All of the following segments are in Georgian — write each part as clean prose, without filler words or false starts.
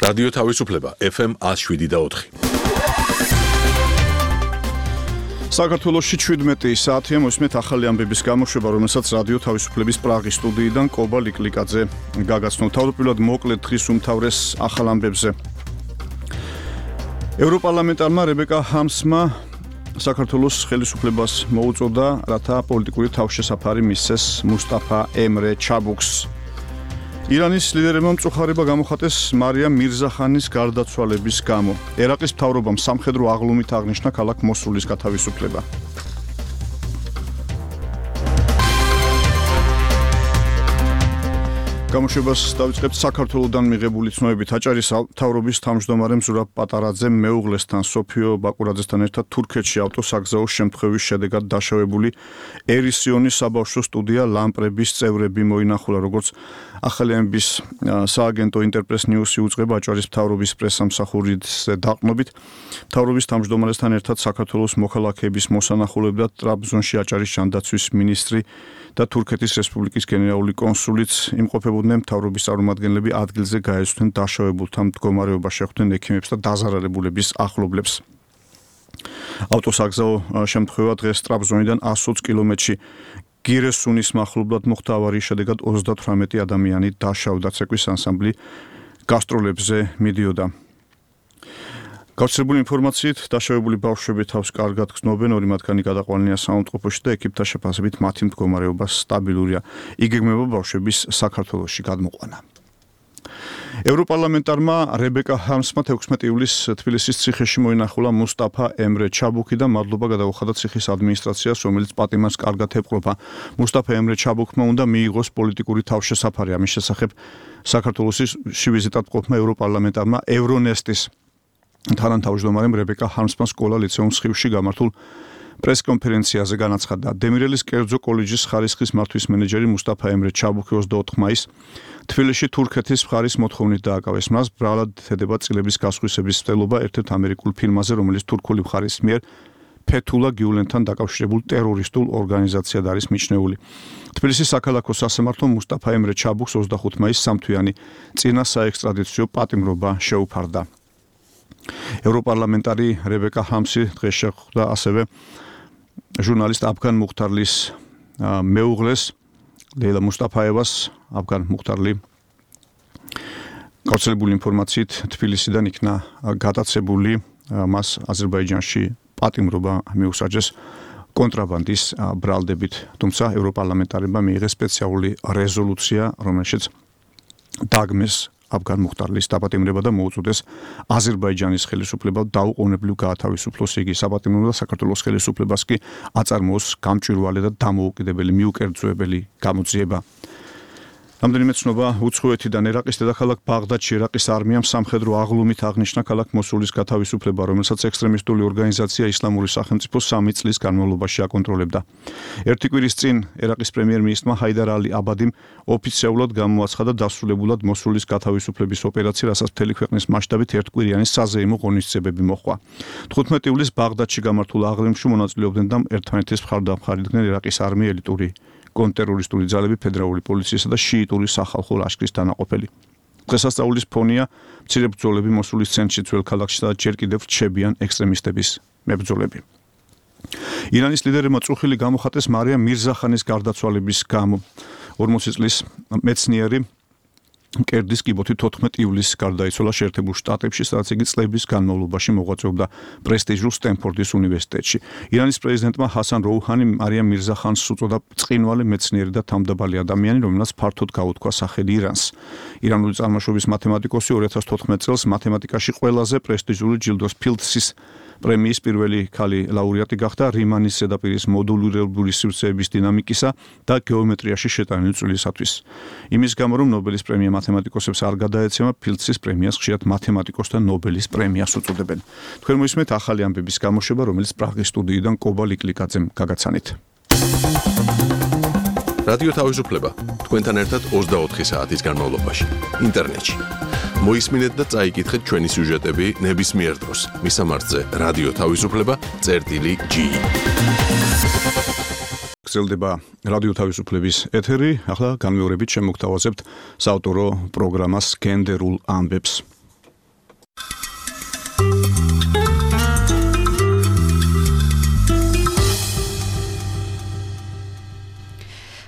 რადიო თავისუფლება FM 107.4. საქართველოში 17 საათია მოსმეთ ახალი ამბების გამოშვება, რომელსაც რადიო თავისუფლების პრაღის სტუდიიდან კობა ლიკლიკაძე გაგაცნო. თავდაპირველად მოკლედ დღის უმთავრეს ახალ ამბებზე. ევროპარლამენტარმა რებეკა ჰარმსმა საქართველოს ხელისუფლებას მოუწოდა, რათა პოლიტიკური თავშესაფარი მისცეს მუსტაფა ემრე ჩაბუქს. ირანის ლიდერებმა მწუხარება გამოხატეს მარიამ მირზახანის გარდაცვალების გამო. ერაყის მთავრობამ სამხედრო აღლუმით აღნიშნა ქალაქ მოსულის გათავისუფლება. გამოშვებას დავიწყებთ საქართველოდან მიღებული ცნობებით. აჭარის მთავრობის თავმჯდომარე ზურაბ პატარაძემ მეუღლესთან სოფიო ბაკურაძესთან ერთად თურქეთში ავტოსაგზაო შემთხვევის შედეგად დაშავებული ერისიონის საბავშვო სტუდია ლამპრების წევრები მოინახულა, როგორც ახალი ამბის სააგენტო ინტერპრეს ნიუსი უწყება აჭარის მთავრობის პრესსამსახურის დაყრდნობით. მთავრობის თავმჯდომარესთან ერთად საქართველოს მოქალაქეების მოსანახულებდა ტრაბზონში აჭარის ჯანდაცვის მინისტრი და თურქეთის რესპუბლიკის გენერალური კონსულიც. იმყოფებოდნენ მთავრობის წარმომადგენლები, ადგილზე გაეცვნენ დაშავებულთა მდგომარეობა, შეხვდნენ ექიმებს და დაზარალებულების ახლობლებს. ავტოსაგზაო შემთხვევა დღეს ტრაბზონიდან 120 კილომეტრში გირესუნის მახლობლად მოხდა. ავარიის შედეგად 38 ადამიანი დაშავდა. ცეკვის ანსამბლი გასტროლებზე მიდიოდა. გავრცელებული ინფორმაციით დაშავებული ბავშვები თავს კარგად გრძნობენ, ორი მათგანი გადაყვანილია საავადმყოფოში და ექიპთა შეფასებით მათი მდგომარეობა სტაბილურია. იგეგმება ბავშვების საქართველოში გადმოყვანა. ევროპარლამენტარმა რებეკა ჰარმსმა 16 ივლისს თბილისის ციხეში მოინახულა მუსტაფა ემრე ჩაბუქი და მადლობა გადაუხადა ციხის ადმინისტრაციას, რომელიც პატიმარს კარგად ეპყრობა. მუსტაფა ემრე ჩაბუქმა უნდა მიიღოს პოლიტიკური თავშესაფარი. ამის შესახებ საქართველოში ვიზიტად მყოფმა ევროპარლამენტარმა ევრონესტის თანამთავმჯდომარემ რებეკა ჰარმსმა სკოლა ლიცეუმ სხივში გამართულ პრესკონფერენციაზე განაცხადა. დემირელის კერძო კოლეჯის ხარისხის მართვის მენეჯერი მუსტაფა ემრე ჩაბუქი 24 მაისს თბილისში თურქეთის მხარის მოთხოვნით დააკავეს. მას ბრალად ედება წილების გასხვისების მცდელობა ერთ-ერთ ამერიკულ ფილმაზე, რომელიც თურქული მხარის მიერ ფეთულა გიულენთან დაკავშირებულ ტერორისტულ ორგანიზაციად არის მიჩნეული. თბილისის საქალაქო სასამართლომ მუსტაფა ემრე ჩაბუქს 25 მაისს სამთვიანი წინა საექსტრადიციო პატიმრობა შეუფარდა. ევროპარლამენტარი რებეკა ჰარმსი დღეს შეხვდა ასევე ჟურნალისტ აფგან მუხთარლის მეუღლეს ლეილა მუსტაფაევას. აფგან მუხთარლი გავრცელებული ინფორმაციით თბილისიდან იქნა გადაცებული, მას აზერბაიჯანში პატიმრობა მიუსაჯეს კონტრაბანდის ბრალდებით, თუმცა ევროპარლამენტარებმა მიიღეს სპეციალური რეზოლუცია, რომელშიც დაგმეს აფგან მუხთარლის დაპატიმრება და მოუწოდეს აზერბაიჯანის ხელისუფლებამ დაუყოვნებლივ გაათავისუფლოს იგი. საპატიმრო და საქართველოს ხელისუფლებას კი აწარმოოს გამჭვირვალე და დამოუკიდებელი მიუკერძოებელი გამოძიება. რამდენიმე ცნობა უცხოეთიდან. ერაყის დედაქალაქ ბაღდადში ერაყის არმიამ სამხედრო აღლუმით აღნიშნა ქალაქ მოსულის გათავისუფლება, რომელსაც ექსტრემისტული ორგანიზაცია ისლამური სახელმწიფო 3 წლის განმავლობაში აკონტროლებდა. ერთი კვირის წინ ერაყის პრემიერ-მინისტრმა ჰაიდარ ალი აბადიმ ოფიციალურად გამოაცხადა დასრულებულად მოსულის გათავისუფლების ოპერაცია, რასაც მთელი ქვეყნის მასშტაბით ერთკვირიანი საზეიმო ღონისძიებები მოჰყვა. 15 ივლისს ბაღდადში გამართულ აღლუმში მონაწილეობდნენ და ერთმანეთის მხარდამხარიდნენ ერაყის არმია, ელიტური კონტრტერორისტული ძალები, ფედერალური პოლიციისა და შიიტური სახალხო ლაშქრის დანაყოფელი. დღესასწაულის ფონია მცირე ბრძოლები მოსულის ცენტრში, ძველ ქალაქში და ჯერ კიდევ რჩებიან ექსტრემისტების მებრძოლები. ირანის ლიდერებმა წუხილი გამოხატეს მარიამ მირზახანის გარდაცვალების გამო. 40 წლის მეცნიერი კერდის კიბოთი 14 ივლისს გარდაიცვალა შეერთებულ შტატებში, სადაც იგი წლების განმავლობაში მოღვაწეობდა პრესტიჟულ სტენფორდის უნივერსიტეტში. ირანის პრეზიდენტმა ჰასან როუჰანი მარიამ მირზახანს უწოდა ბრწყინვალე მეცნიერი და თავმდაბალი ადამიანი, რომელსაც ფართოდ გაუთქვა სახელი ირანს. ირანული წარმოშობის მათემატიკოსი 2014 წელს მათემატიკაში ყველაზე პრესტიჟული ჯილდოს ფილდსის პრემიის პირველი ქალი ლაურეატი გახდა რიმანის ზედაპირის მოდულირებული სივრცეების დინამიკისა და გეომეტრიაში შეტანილი წვლილისათვის. იმის გამო, რომ ნობელის პრემია მათემატიკოსებს არ გადაეცემა, ფილდსის პრემიას ხშირად მათემატიკოსთა ნობელის პრემიას უწოდებენ. თქვენ მოისმენთ ახალი ამბების გამოშვება, რომელიც პრაღის სტუდიიდან კობა ლიკლიკაძემ გაგაცანით. რადიო თავისუფლება თქვენთან ერთად 24 საათის განმავლობაში ინტერნეტში. მოისმინეთ და წაიკითხეთ ჩვენი სიუჟეტები ნებისმიერ დროს. მისამართზე რადიო თავისუფლება.gi. გრძელდება რადიო თავისუფლების ეთერი. ახლა განმეორებით შემოგთავაზებთ საავტორო პროგრამას გენდერულ ამბებს.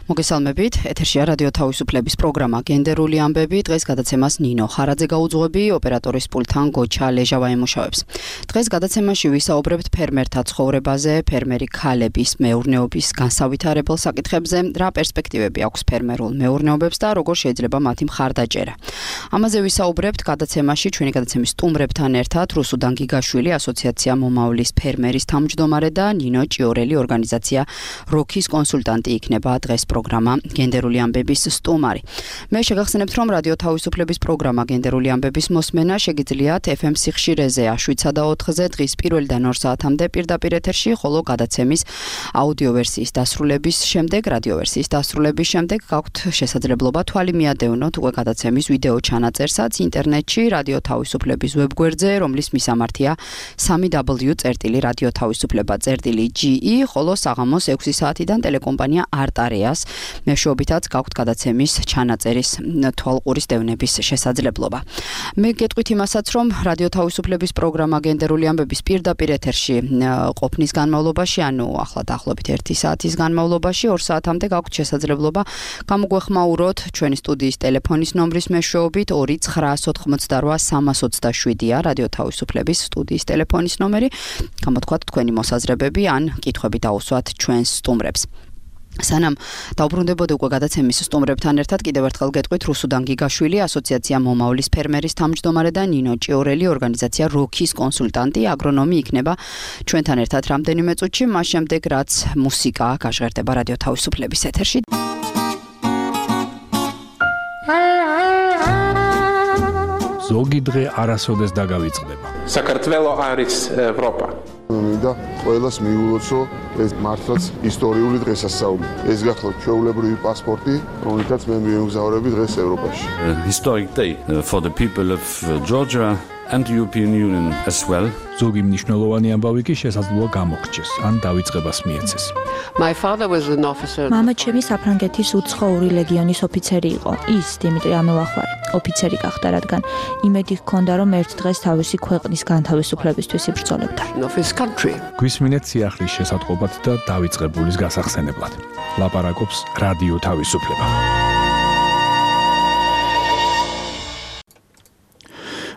მოგესალმებით, ეთერშია რადიო თავისუფლების პროგრამა გენდერული ამბები. დღეს გადაცემას ნინო ხარაძე გაუძღვები, ოპერატორის პულტთან გოჩა ლეჟავა ემუშავებს. დღეს გადაცემაში ვისაუბრებთ ფერმერთა ცხოვრებაზე, ფერმერი ქალების მეურნეობის განსავითარებელ საკითხებზე, რა პერსპექტივები აქვს ფერმერულ მეურნეობებს და როგორ შეიძლება მათი მხარდაჭერა. ამაზე ვისაუბრებთ გადაცემაში, ჩვენი გადაცემის სტუმრებთან ერთად რუსუდან გიგაშვილი, ასოციაცია მომავლის ფერმერის თავმჯდომარე და ნინო ჭიორელი, ორგანიზაცია როქის კონსულტანტი იქნება დღეს პროგრამა გენდერული ამბების სტუმარი. მე შეგახსენებთ, რომ რადიო თავისუფლების პროგრამა გენდერული ამბების მოსმენა შეგიძლიათ FM სიხშირეზე 7-ზე და 4-ზე დღის 1-დან 2 საათამდე პირდაპირ ეთერში, ხოლო გადაცემის აუდიო ვერსიის დასრულების შემდეგ, რადიო ვერსიის დასრულების შემდეგ გაქვთ შესაძლებლობა თვალი მიადევნოთ უკვე გადაცემის ვიდეო ჩანაწერსაც ინტერნეტში რადიო თავისუფლების ვებგვერდზე, რომლის მისამართია www.radiotavisufleba.ge, ხოლო საღამოს 6 საათიდან ტელეკომპანია არტარეას მეშვეობითაც გაქვთ გადაცემის ჩანაწერის თვალყურის დევნების შესაძლებლობა. მე გეტყვით იმასაც, რომ რადიო თავისუფლების პროგრამა გენდერული ამბების პირდაპირ ეთერში ყოფნის განმავლობაში, ანუ ახლა დაახლოებით 1 საათის განმავლობაში 2 საათამდე გაქვთ შესაძლებლობა გამოგვეხმაუროთ ჩვენი სტუდიის ტელეფონის ნომრის მეშვეობით 2-988-327-ია რადიო თავისუფლების სტუდიის ტელეფონის ნომერი. გამოთქვათ თქვენი მოსაზრებები ან კითხვები დაუსვათ ჩვენს სტუმრებს. სანამ დავბრუნდებოდა უკვე გადაცემის სტუმრებთან ერთად, კიდევ ერთხელ გეტყვით რუსუდან გიგაშვილი, ასოციაცია მომავლის ფერმერის თავმჯდომარე და ნინო ჭიორელი, ორგანიზაცია როქის კონსულტანტი, აგრონომი იქნება ჩვენთან ერთად რამდენიმე წუთში, მას შემდეგ რაც მუსიკა გაჟღერდება რადიო თავისუფლების ეთერში. ზოგი დღე არასოდეს დაგავიწყდება. საქართველო არის ევროპა. მინდა ყველას მიულოცო ეს მართლაც ისტორიული დღესასწაული. ეს გახლავთ ჩვეულებრივი პასპორტი, რომელთაც მე მიემგზავრები დღეს ევროპაში. Historic day for the people of Georgia and the European Union as well. ზოგი მნიშვნელოვანი ამბავი კი შესაძლოა გამოგრჩეს, ან დავიწყებას მიეცეს. My father was an officer. მამა ჩემი საფრანგეთის უცხოური ლეგიონის ოფიცერი იყო. ის დიმიტრი ამელახვარი ოფიცერი გახდა, რადგან იმედი ჰქონდა, რომ ერთ დღეს თავისი ქვეყნის განთავისუფლებისთვის იბრძოლებდა. Of his country. გვისმინეთ სიახლის შესატყობად და დავიწყებულის გასახსენებლად. ლაპარაკობს რადიო თავისუფლება.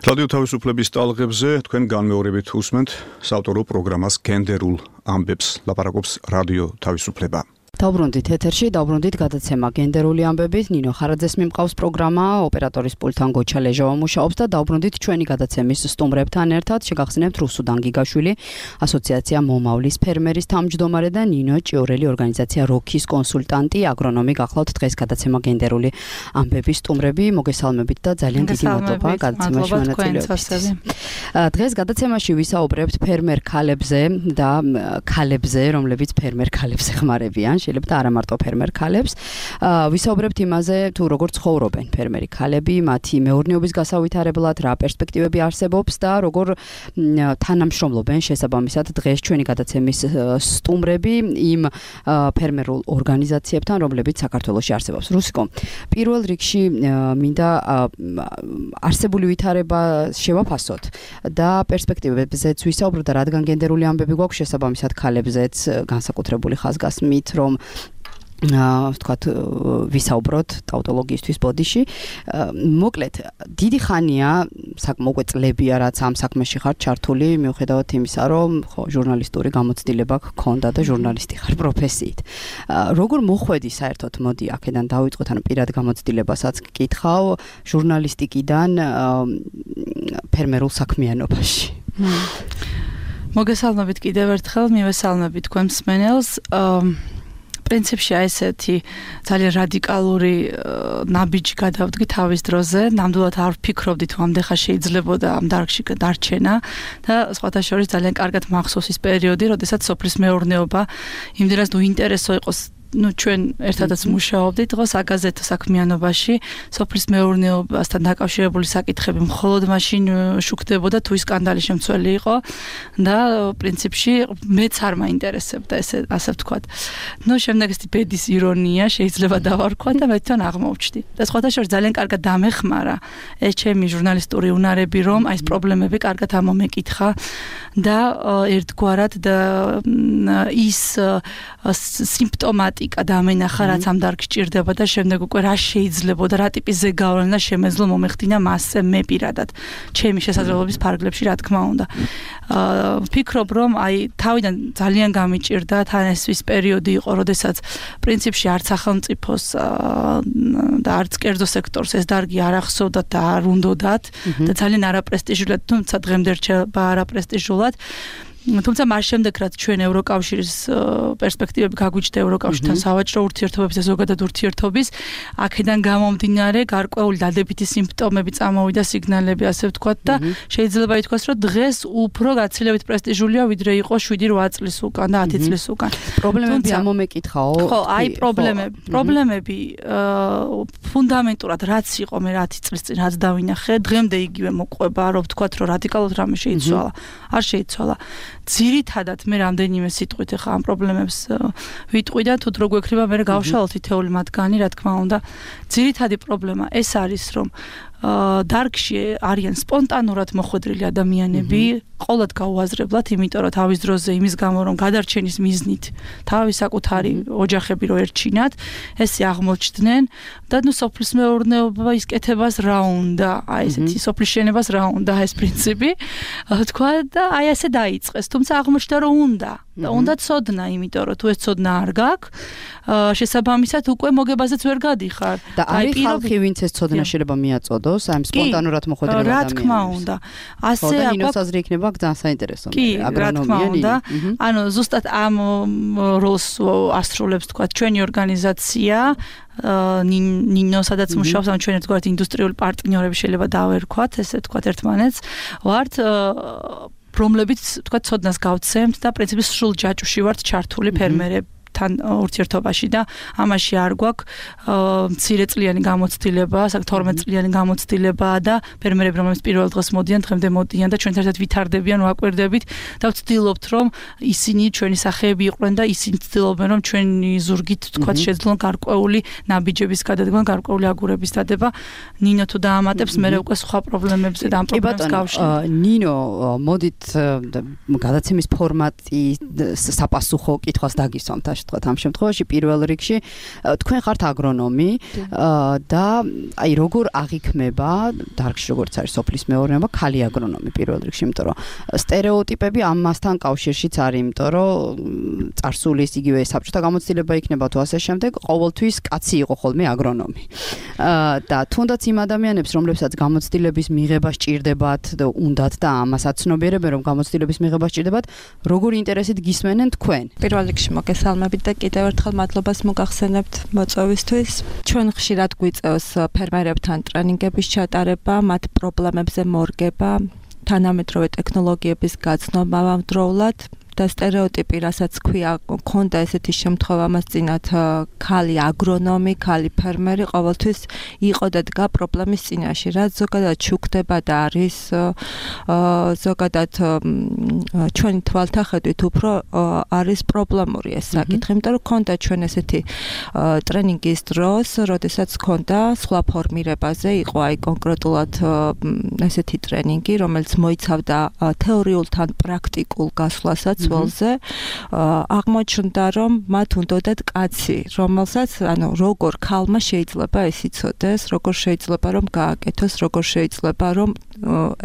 რადიო თავისუფლების ტალღებზე თქვენ განმეორებით უსმენთ საავტორო პროგრამას გენდერულ ამბებს. ლაპარაკობს რადიო თავისუფლება. დავბრუნდით ეთერში, დავბრუნდით გადაცემა გენდერული ამბებით. ნინო ხარაძეს მიმყავს პროგრამა, ოპერატორის პულტთან გოჩა ლეჟავა მუშაობს და დავბრუნდით ჩვენი გადაცემის სტუმრებთან ერთად. შეგახსენებთ რუსუდან გიგაშვილი, ასოციაცია მომავლის ფერმერის თავმჯდომარე და ნინო ჭიორელი, ორგანიზაცია როქის კონსულტანტი, აგრონომი გახლავთ დღეს გადაცემა გენდერული ამბების სტუმრები. მოგესალმებით და ძალიან დიდი მადლობა გადაცემაში მონაწილეობისთვის. დღეს გადაცემაში ვისაუბრებთ ფერმერ ქალებზე და ქალებზე, რომლებიც ფერმერ ქალებს ეხმარებიან. შეიძლება და არა მარტო ფერმერ ქალებს. ვისაუბრებთ იმაზე, თუ როგორ ცხოვრობენ ფერმერი ქალები, მათი მეურნეობის გასავითარებლად, რა პერსპექტივები არსებობს და როგორ თანამშრომლობენ შესაბამისად დღეს ჩვენი გადაცემის სტუმრები იმ ფერმერულ ორგანიზაციებთან, რომლებიც საქართველოში არსებობს. რუსიკო, პირველ რიგში მინდა არსებული ვითარება შევაფასოთ და პერსპექტივებზეც ვისაუბროთ და რადგან გენდერული ამბები გვაქვს შესაბამისად ქალებზეც განსაკუთრებული ხაზგასმით, რომ ვთქვათ ვისაუბროთ ტაუტოლოგიისთვის ბოდიში. მოკლედ, დიდი ხანია, მოკლედ წლებია რაც ამ საქმეში ხარ ჩართული, მიუხედავად იმისა, რომ ხო ჟურნალისტური გამოცდილება გქონდა და ჟურნალისტი ხარ პროფესიით. როგორ მოხვედი საერთოდ, მოდი აქედან დავიწყოთ, ანუ პირად გამოცდილებასაც გკითხავ, ჟურნალისტიკიდან ფერმერულ საქმიანობაში. მოგესალმებით კიდევ ერთხელ, მივესალმებით თქვენ მსმენელს. პრინციპში ესეთი ძალიან რადიკალური ნაბიჯი გადავდგი თავის დროზე. ნამდვილად არ ვფიქრობდი თუ ამდეხა შეიძლებოდა ამ დარგში დარჩენა და სხვათა შორის ძალიან კარგად მახსოვს ის პერიოდი, როდესაც სოფლის მეურნეობა იმდენად უინტერესო იყო ჩვენ ერთადაც მუშაობდით დღეს აგაზეთო საქმიანობაში, სოფლის მეურნეობასთან დაკავშირებული საკითხები მხოლოდ მაშინ შუქდებოდა თუ ის სკანდალი შემცველი იყო და პრინციპში მეც არ მაინტერესებდა ესე ასე ვთქვათ. შემდეგ ეს ბედის ირონია შეიძლება დავარქვა და მე თან აღმოვჩდი. და სხვათა შორის ძალიან კარგად დამეხმარა ეს ჩემი ჟურნალისტური უნარები, რომ აი ეს პრობლემები კარგად ამომეკითხა და ერთგვარად და ის სიმპტომატიკა დამენახა, რაც ამ დარგში ჭირდება და შემდეგ უკვე რა შეიძლება და რა ტიპის ზეგავლენა შემეძლო მომეხდინა მასზე მე პირადად ჩემი შესაძლებლობის ფარგლებში, რა თქმა უნდა. ვფიქრობ, რომ აი თავიდან ძალიან გამიჭირდა თან ეს ის პერიოდი იყო, როდესაც პრინციპში არც სახელმწიფოს და არც კერძო სექტორს ეს დარგი არ ახსოვდათ და არ უნდოდათ და ძალიან არაპრესტიჟულად, თუმცა დღემდე რჩება არაპრესტიჟულად. თუმცა მას შემდეგ რაც ჩვენ ევროკავშირის პერსპექტივები გაგვიჩნდა ევროკავშირთან სავაჭრო ურთიერთობების და ზოგადად ურთიერთობის, აქედან გამომდინარე გარკვეული დადებითი სიმპტომები წამოვიდა, სიგნალები ასე ვთქვათ და შეიძლება ითქვას, რომ დღეს უფრო გაცილებით პრესტიჟულია ვიდრე იყო 7-8 წლის უკან და 10 წლის უკან. პრობლემები ამომეკითხაო? ხო, აი პრობლემები ფუნდამენტურად რაც იყო მე 10 წლის წინ რაც დავინახე, დღემდე იგივე მოყვება, რომ ვთქვათ, რომ რადიკალურად რამე შეიცვალა. არ შეიცვალა. ძირითადად მე რამდენიმე სიტყვით ახლა ამ პრობლემებს ვიტყვი და თუ დრო გვექნება მე გავშალოთ ითეული მათგანი, რა თქმა უნდა. ძირითადი პრობლემა ეს არის, რომ დარგში არიან სპონტანურად მოხვედრილი ადამიანები, ყოველად გაუაზრებლად, იმიტომ რომ თავის დროზე იმის გამო რომ გადარჩენის მიზნით თავის საკუთარი ოჯახები რო ერჩინათ, ესე აღმოჩნდნენ და სოფლის მეურნეობა ის კეთებას რა უნდა, აი ესეთი სოფლის შენებას რა უნდა ეს პრინციპი, თქვა და აი ასე დაიწყეს, თუმცა აღმოჩნდა რომ უნდა და უნდა ცოდნა, იმიტომ რომ თუ ეს ცოდნა არ გაქვს, შესაბამისად უკვე მოგებაზეც ვერ გადიხარ. და არის ხალხი, ვინც ეს ცოდნა შეიძლება მიაწოდოს, აი სპონტანურად მოხვედრილ ადამიანებს. რა თქმა უნდა. ასე აქვს. ნინოს აზრი იქნება ძალიან საინტერესო. კი, რა თქმა უნდა. ანუ ზუსტად ამ როლს ასრულებს თქვა ჩვენი ორგანიზაცია ნინო, სადაც მუშაობს, ანუ ჩვენ ერთგვარად ინდუსტრიული პარტნიორები შეიძლება დავერქვათ, ესე ვთქვათ ერთმანეთს, ვართ რომლებიც თქვა ცოდნას გავცემთ და პრინციპის სრულ ჯაჭვში ვართ ჩართული ფერმერებთან ურთიერთობაში და ამაში არ გვაქვს მცირე წლიანი გამოცდილება, 12 წლიანი გამოცდილება და ფერმერები რომლებიც პირველ დღეს მოდიან, დღემდე მოდიან და ჩვენ ერთად ვითარდებიან, ვაკვირდებით და ვცდილობთ რომ ისინი ჩვენი სახეები იყვნენ და ისინი ცდილობენ რომ ჩვენი ზურგით თქვა შეძლონ გარკვეული ნაბიჯების გადადგმა, გარკვეული აგურების დადება. ნინო თუ დაამატებს, მე უკვე სხვა პრობლემებზე და ამ პრობლემებს გავშლით. ნინო, მოდით გადაცემის ფორმატი საპასუხო კითხვას დაგისვამთ ამ შემთხვევაში პირველ რიგში თქვენ ხართ აგრონომი და აი როგორ აღიქმება დარგში როგორც არის სოფლის მეურნეობა ქალი აგრონომი პირველ რიგში, იმიტომ რომ სტერეოტიპები ამასთან კავშირშიც არის, იმიტომ რომ წარსულის იგივე საბჭოთა გამოცდილება იქნება თუ ასე შემდეგ, ყოველთვის კაცი იყო ხოლმე აგრონომი. და თუნდაც იმ ადამიანებს, რომლებსაც გამოცდილების მიღება სჭირდებათ და უნდათ და ამას აცნობიერებენ, რომ გამოცდილების მიღება სჭირდებათ, როგორ ინტერესით გისმენენ თქვენ? პირველ რიგში მოგესალმებით და კიდევ ერთხელ მადლობას მოგახსენებთ მოწვევისთვის. ჩვენ ხშირად გვიწევს ფერმერებთან ტრენინგების ჩატარება, მათ პრობლემებზე მორგება, თანამედროვე ტექნოლოგიების გაცნობა ამავდროულად და სტერეოტიპი, რასაც ქვია, ქონდა ესეთი შემთხვევა მას წინათ ქალი აგრონომი, ქალი ფერმერი ყოველთვის იყო და დგა პრობლემის წინაშე, რაც ზოგადად შუქდება და არის ზოგადად ჩვენი თვალთახედვით უფრო არის პრობლემური ეს საკითხი, იმიტომ რომ ქონდა ჩვენ ესეთი ტრენინგის დროს, როდესაც ქონდა სხვა ფორმირებაზე, იყო აი კონკრეტულად ესეთი ტრენინგი, რომელიც მოიცავდა თეორიულთან პრაქტიკულ გასვლასაც ველზე, აღმოჩნდა, რომ მათ უნდათ კაცი, რომელსაც, ანუ როგორ ქალმა შეიძლება ეს იცოდეს, როგორ შეიძლება რომ გააკეთოს, როგორ შეიძლება რომ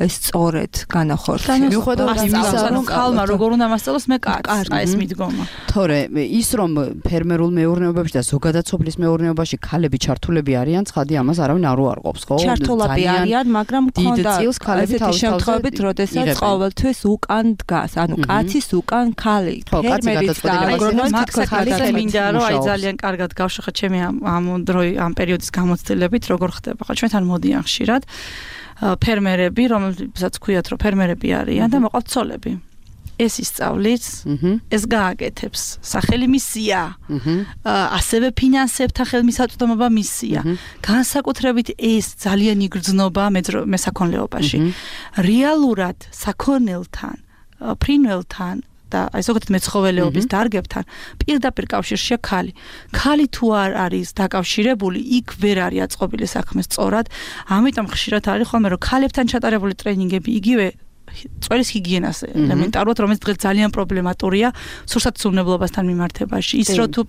ეს სწორედ განახორციელოს. მიუხედავად იმისა, რომ ქალმა როგორ უნდა მასწავლოს, მე კაცს, ეს მიდგომა. თორე ის რომ ფერმერულ მეურნეობებში და ზოგადად სოფლის მეურნეობაში ქალები ჩართულები არიან, ცხადი ამას არავინ არ უარყოფს, ხო? ჩართულები არიან, მაგრამ ქონდა ესეთი შემთხვევებით, როდესაც ყოველთვის უკან დგას, ანუ კაცის უკან ქალი, ფერმერიც და აგრონომი თითქოს მინდა რომ აი ძალიან კარგად გავშეხა ჩემი ამ ამ პერიოდის გამოცდილებით, როგორ ხდება. ხო, ჩვენთან მოდიან ხშირად ფერმერები, რომელსაც ქვიათ, რომ ფერმერები არიან და მოყავთ ცოლები. ეს ისწავლის, ეს გააკეთებს. სახელი მისია. ასევე ფინანსებთა ხელმისაწვდომობა მისია. განსაკუთრებით ეს ძალიან იგრძნობა მესაქონლეობაში. რეალურად საქონელთან, ფრინველთან და აი ზოგადად მეცხოველეობის დარგებთან პირდაპირ კავშირშია ქალი. ქალი თუ არ არის დაკავშირებული, იქ ვერ არის აწყობილი საქმე სწორად. ამიტომ ხშირად არის ხოლმე რომ ქალებთან ჩატარებული ტრენინგები იგივე წვერის ჰიგიენას ელემენტარულად, რომელიც დღეს ძალიან პრობლემატურია სურსათმცემლობასთან მიმართებაში. ის რომ თუ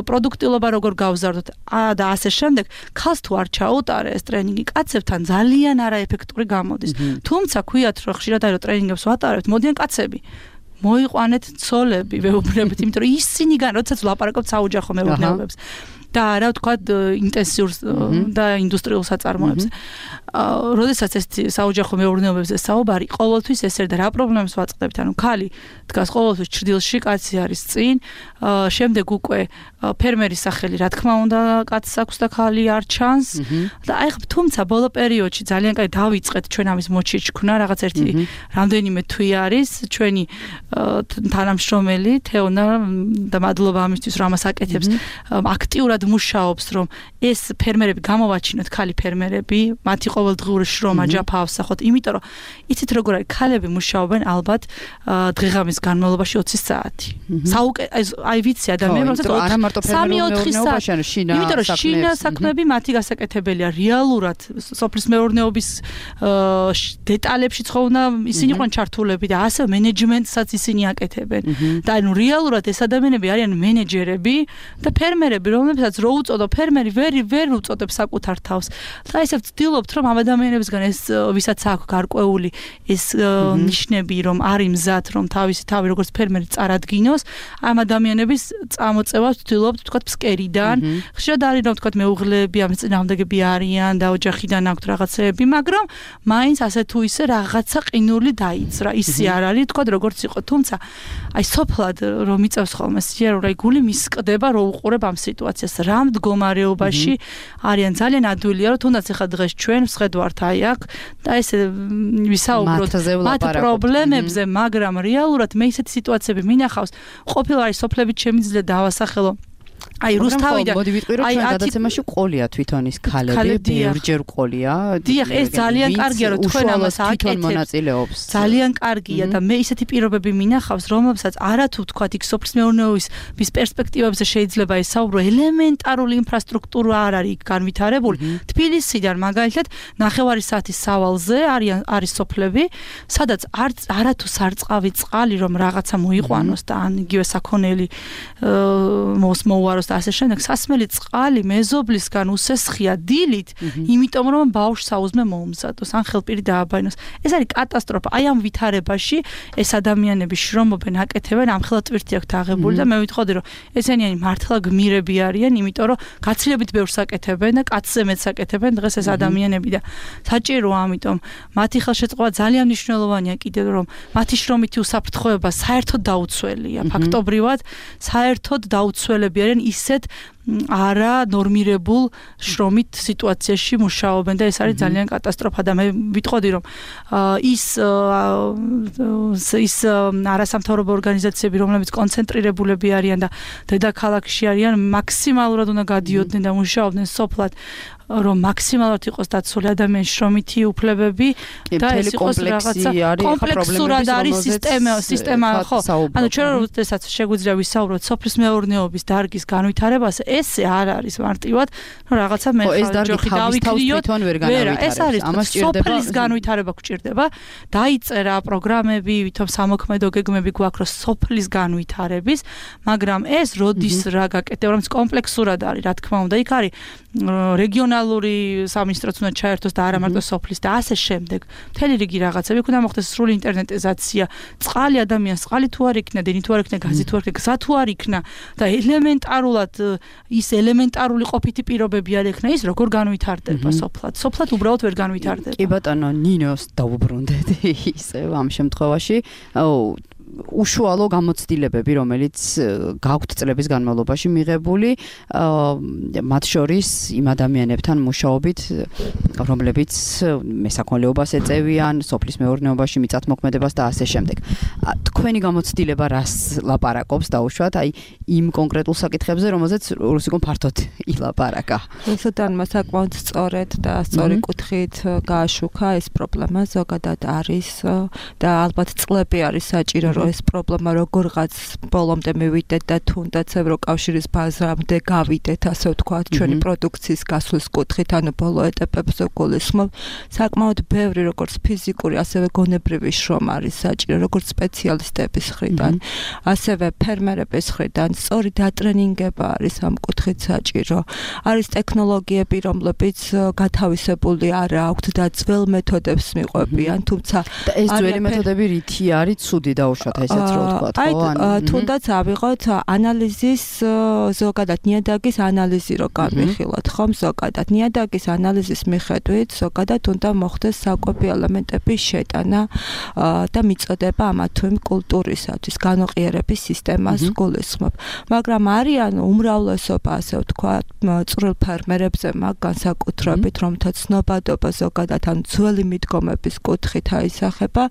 პროდუქტილობა როგორ გავზარდოთ და ასე შემდეგ, ქალს თუ არ ჩაუტარე ეს ტრენინგი, კაცებთან ძალიან არაეფექტური გამოდის. თუმცა ქვიათ რომ ხშირად არის რომ ტრენინგებს ვატარებთ, მოდიან კაცები. მოიყვანეთ ცოლები, ვეუბნებით, იმიტომ რომ ისინი როდესაც ვლაპარაკობთ საოჯახო მეურნეობებს და რა ვთქვათ ინტენსიურ და ინდუსტრიულ საწარმოებს. როდესაც ეს საოჯახო მეურნეობებზე საუბარი, ყოველთვის ესერ და რა პრობლემებს ვაწყდებთ, ანუ ქალი დგას ყოველთვის ჭრდილში, კაცი არის წინ, შემდეგ უკვე ფერმერის სახელი, რა თქმა უნდა, კაცს აქვს და ქალი არ ჩანს და აი თუმცა ბოლო პერიოდში ძალიან კაი დავიწყეთ ჩვენ ამის მოჩიჩქნა, რაღაც ერთი რამდენიმე თვე არის ჩვენი თანამშრომელი თეონა და მადლობა ამისთვის რომ ამას აკეთებს, აქტიურად მუშაობს რომ ეს ფერმერები გამოვაჩინოთ, ქალი ფერმერები, მათი ყოველდღიური შრომა ჯაფა ავსახოთ, იმიტომ რომ იცით როგორ არის, ქალები მუშაობენ ალბათ დღეღამის განმავლობაში 20 საათი. აი ვიცი ადამიანებს რომ არა მარტო ფერმერული საათი, იმიტომ რომ შინა საქმეები მათი გასაკეთებელია რეალურად სოფლის მეურნეობის დეტალებში ხოვნა ისინი ყვან ჩართულები და ასე მენეჯმენტსაც ისინი აკეთებენ. და ანუ რეალურად ეს ადამიანები არიან მენეჯერები და ფერმერები, რომლებსაც რო უწოდო ფერმერი ვერ უწოდებს საკუთარ თავს. და ესე ვცდილობთ რომ ამ ადამიანებისგან ეს ვისაც აქვს გარკვეული ეს ნიშნები რომ არის მზად რომ თავისი თავი როგორც ფერმერი წარადგინოს, ამ ადამიანების წამოწევას ვცდილობთ თქვათ ფსკერიდან. ხშირად არის რომ თქვათ მეუღლეები ამ წინააღმდეგები არიან და ოჯახიდან აქვთ რაღაცეები, მაგრამ მაინც ასე თუ ისე რაღაცა ყინული დაიწრა. ისი არ არის თქვათ როგორც იყო, თუმცა აი სოფლად რომ იწევს ხოლმე სიარული, აი გული მისკდება რომ უყურებ ამ სიტუაციას, რა მდგომარეობაში არიან. ძალიან ადვილია რომ თუნდაც ახლა დღეს ჩვენ ვსხედვართ აი აქ და ესე ვისაუბროთ მათ პრობლემებზე, მაგრამ რეალურად მე ისეთი სიტუაციები მინახავს, ყოფილი არის სოფლებით შემიძლია დავასახელო. აი რუსთავიდან მოდი ვიტყვი რომ ჩვენ გადაცემაში ყოლია თვითონ ის ქალები, ბევრჯერ ყოლია. დიახ, ეს ძალიან კარგია რომ თქვენ ამას აკეთებს. ძალიან კარგია და მე ისეთი პირობები მინახავს, რომლებსაც არათუ თქვათ იქ სოფლის მეურნეობის პერსპექტივებზე შეიძლება ესაუბრო, ელემენტარული ინფრასტრუქტურა არ არის იქ განვითარებული. თბილისიდან მაგალითად 9 საათის სავალზე არის სოფლები, სადაც არათუ სარწყავი წყალი რომ რაღაცა მოიყვანოს და ან იგივე საქონელი მოუაროს და ასე შემდეგ, სასმელი წყალი მეზობლისგან უსესხია დილით, იმიტომ რომ ბავშვს საუზმე მოუმზადოს, ან ხელპირი დააბაინოს. ეს არის კატასტროფა. აი ამ ვითარებაში ეს ადამიანები შრომობენ, აკეთებენ, ამხელა ტვირთი აქვთ აღებული და მე ვიტყოდი რომ ესენი მართლა გმირები არიან, იმიტომ რომ გაცილებით ბევრს აკეთებენ და კაცზე მეც აკეთებენ დღეს ეს ადამიანები და საჭიროა ამიტომ მათი ხელშეწყობა ძალიან მნიშვნელოვანია კიდევ რომ მათი შრომითი უსაფრთხოება საერთოდ დაუცველია, ფაქტობრივად საერთოდ დაუცველები არიან ისეთ არა ნორმირებულ შრომით სიტუაციაში მუშაობენ და ეს არის ძალიან კატასტროფა და მე ვიტყოდი რომ ის არასამთავრობო ორგანიზაციები რომლებიც კონცენტრირებულები არიან და დედაქალაქში არიან მაქსიმალურად უნდა გადიოდნენ და მუშაობდნენ სოფლად რომ მაქსიმალურად იყოს დაცული ადამიანის შრომითი უფლებები და ეს იყოს რაღაცა კომპლექსურად არის სისტემა ხო ანუ ჩვენ როდესაც შეგვიძლია ვისაუბროთ სოფლის მეურნეობის დარგის განვითარებას ესე არ არის მარტივად რომ რაღაცა მე ჯოხი დავიქრიოთ ეს არის სოფლის განვითარება გვჭირდება დაიწერა პროგრამები ვითომ სამოქმედო გეგმები გვაქვს რომ სოფლის განვითარების მაგრამ ეს როდის რა გაკეთდება რომ კომპლექსურად არის რა თქმა უნდა იქ არის რეგიონალური სამინისტროც უნდა ჩაერთოს და არა მარტო სოფლის და ასე შემდეგ. მთელი რიგი რაღაცები იქ უნდა მოხდეს სრული ინტერნეტიზაცია. წყალი ადამიანს წყალი თუ არ იქნა, დინი თუ არ იქნა, გაზი თუ არ იქნა, გზა თუ არ იქნა და ელემენტარულად ის ელემენტარული ყოფითი პირობები არ იქნა, ის როგორ განვითარდება სოფლად? სოფლად უბრალოდ ვერ განვითარდება. კი ბატონო, ნინოს დაუბრუნდეთ ისევ ამ შემთხვევაში. უშუალო გამოცდილებები, რომელიც გაქვთ წლების განმავლობაში მიღებული, მათ შორის იმ ადამიანებთან მუშაობით, რომლებიც მესაქონლეობას ეწევიან, სოფლის მეურნეობაში მიწათმოქმედებას და ასე შემდეგ. თქვენი გამოცდილება რას ლაპარაკობს დაუშვათ, აი იმ კონკრეტულ საკითხებზე, რომელზეც რუსიკომ ფართოდ ილაპარაკა. რუსუდანმა საკმაოდ სწორედ და სწორი კუთხით გააშუქა ეს პრობლემა ზოგადად არის და ალბათ წლები არის საჭირო რომ ეს პრობლემა როგორღაც ბოლომდე მივიდეთ და თუნდაც ევროკავშირის ბაზრამდე გავიდეთ, ასე ვთქვათ, ჩვენი პროდუქციის გასვლის კუთხით, ანუ ბოლო ეტაპებზე გულისხმობ, საკმაოდ ბევრი როგორც ფიზიკური, ასევე გონებრივი შრომა არის საჭირო, როგორც სპეციალისტების მხრიდან, ასევე ფერმერების მხრიდან, სწორი დატრენინგება არის ამ კუთხით საჭირო. არის ტექნოლოგიები, რომლებიც გათავისებული არ აქვთ და ძველ მეთოდებს მიყვებიან, თუმცა ეს ძველი მეთოდები რითი არის ცუდი დაუშვათ, ესეც რო ვთქვათ, ხო? თუნდაც ავიღოთ ანალიზის ზოგადად ნიადაგის ანალიზი რო განვიხილოთ, ხომ ზოგადად ნიადაგის ანალიზის მიხედვით ზოგადად უნდა მოხდეს საკვები ელემენტების შეტანა და მიწოდება ამა თუ იმ კულტურისათვის განოყიერების სისტემას გულისხმობ. მაგრამ არიან უმრავლესობა, ასე ვთქვათ, წვრილ ფერმერებზე მაგ განსაკუთრებით, რომთა ცნობადობა ზოგადად ან ძველი მიდგომების კუთხით აისახება,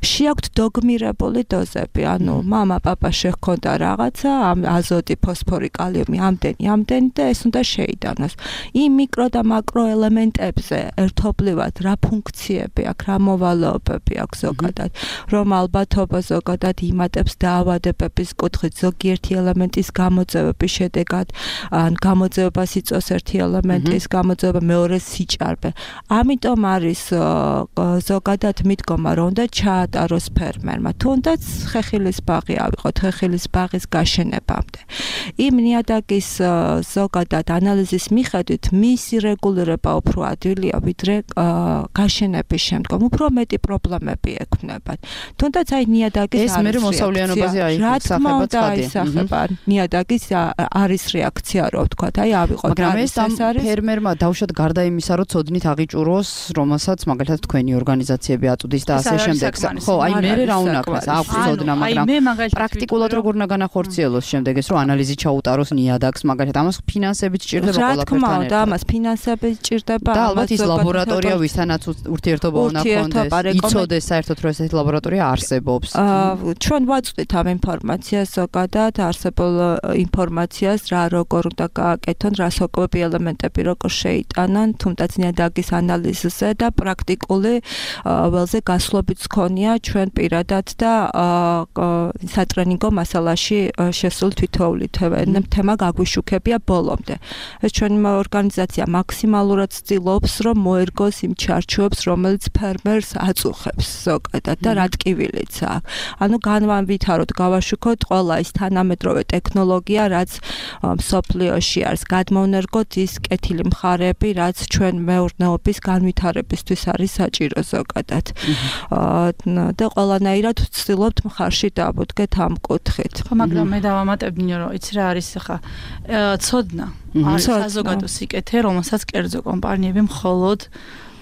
შეაქვთ დოგმირებული დოზები, ანუ მამა, პაპა შეხქონდა რაღაცა, აზოტი, ფოსფორი, კალიუმი ამდენი და ეს უნდა შეიტანოს. იმ მიკრო და მაკრო ელემენტებზე ერთობლივად რა ფუნქციები აქვს, რა მოვალეობები აქვს ზოგადად, რომ ალბათობა ზოგადად იმატებს დაავადებების კუთხით ზოგიერთი ელემენტის გამოწვევების შედეგად, ან გამოწვევას იწვევს ერთი ელემენტის გამოწვევა, მეორე სიჭარბე. ამიტომ არის ზოგადად მიდგომა, რომ უნდა ჩაატაროს ფერმერმა, თუნდაც ხეხილის ბაღი ავიღოთ, ხეხილის ბაღის გაშენებამდე. იმ ნიადაგის ზოგადად ანალიზის მიხედვით მისი რეგულირება უფრო ადვილია, ვიდრე გაშენების შემდგომ, უფრო მეტი პრობლემები ექმნებათ. თუნდაც აი ნიადაგის ეს მე მოსავლიანობაზე აისახება, ნიადაგის არის რეაქცია, რო ვთქვათ, აი ავიღოთ. მაგრამ ეს ფერმერმა დავუშვათ გარდა იმისა, რომ ცოდნით აღიჭუროს, რომელსაც მაგალითად თქვენი ორგანიზაციები აწვდის და ასე შემდეგ. ხო, აი მე რა უნდა ქნას, აქვს ცოდნა, მაგრამ პრაქტიკულად როგორ უნდა განახორციელოს შემდეგ ეს, რომ ანალიზი ჩაუტაროს ნიადაგს, მაგალითად ამას ფინანსებით სჭირდება ყველაფერთან ერთად. და ამას ფინანსები სჭირდება, და ალბათ ის ლაბორატორია, ვისთანაც ურთიერთობა უნდა ჰქონდეს, იცოდეს საერთოდ რომ ესეთი ლაბორატორია არსებობს. ჩვენ ვაწვდით ამ ინფორმაციას ზოგადად, არსებულ ინფორმაციას, რა როგორ უნდა გააკეთონ, რა საკვები ელემენტები როგორ შეიტანონ, თუმცა ნიადაგის ანალიზზე და პრაქტიკული ველზე გასვლობით გქონია ჩვენ პირადად და სატრენინგო მასალაში შესულ თითოეული თემა გაგვიშუქებია ბოლომდე. ეს ჩვენი ორგანიზაცია მაქსიმალურად ცდილობს, რომ მოერგოს იმ ჩარჩოებს, რომელიც ფერმერს აწუხებს ზოგადად და რა ტკივილიც აქვს. ანუ განვავითაროთ, გავაშუქოთ ყველა ის თანამედროვე ტექნოლოგია, რაც მსოფლიოში არის, გადმოვნერგოთ ის კეთილი მხარეები, რაც ჩვენ მეურნეობის განვითარებისთვის არის საჭირო ზოგადად. და ყველანაირად ვცდილობთ მხარში დავუდგეთ ამ კუთხით. ხო, მაგრამ მე დავამატებდი, რომ იცი რა არის ახლა ცოდნა. არის საზოგადო სიკეთე, რომელსაც კერძო კომპანიები მხოლოდ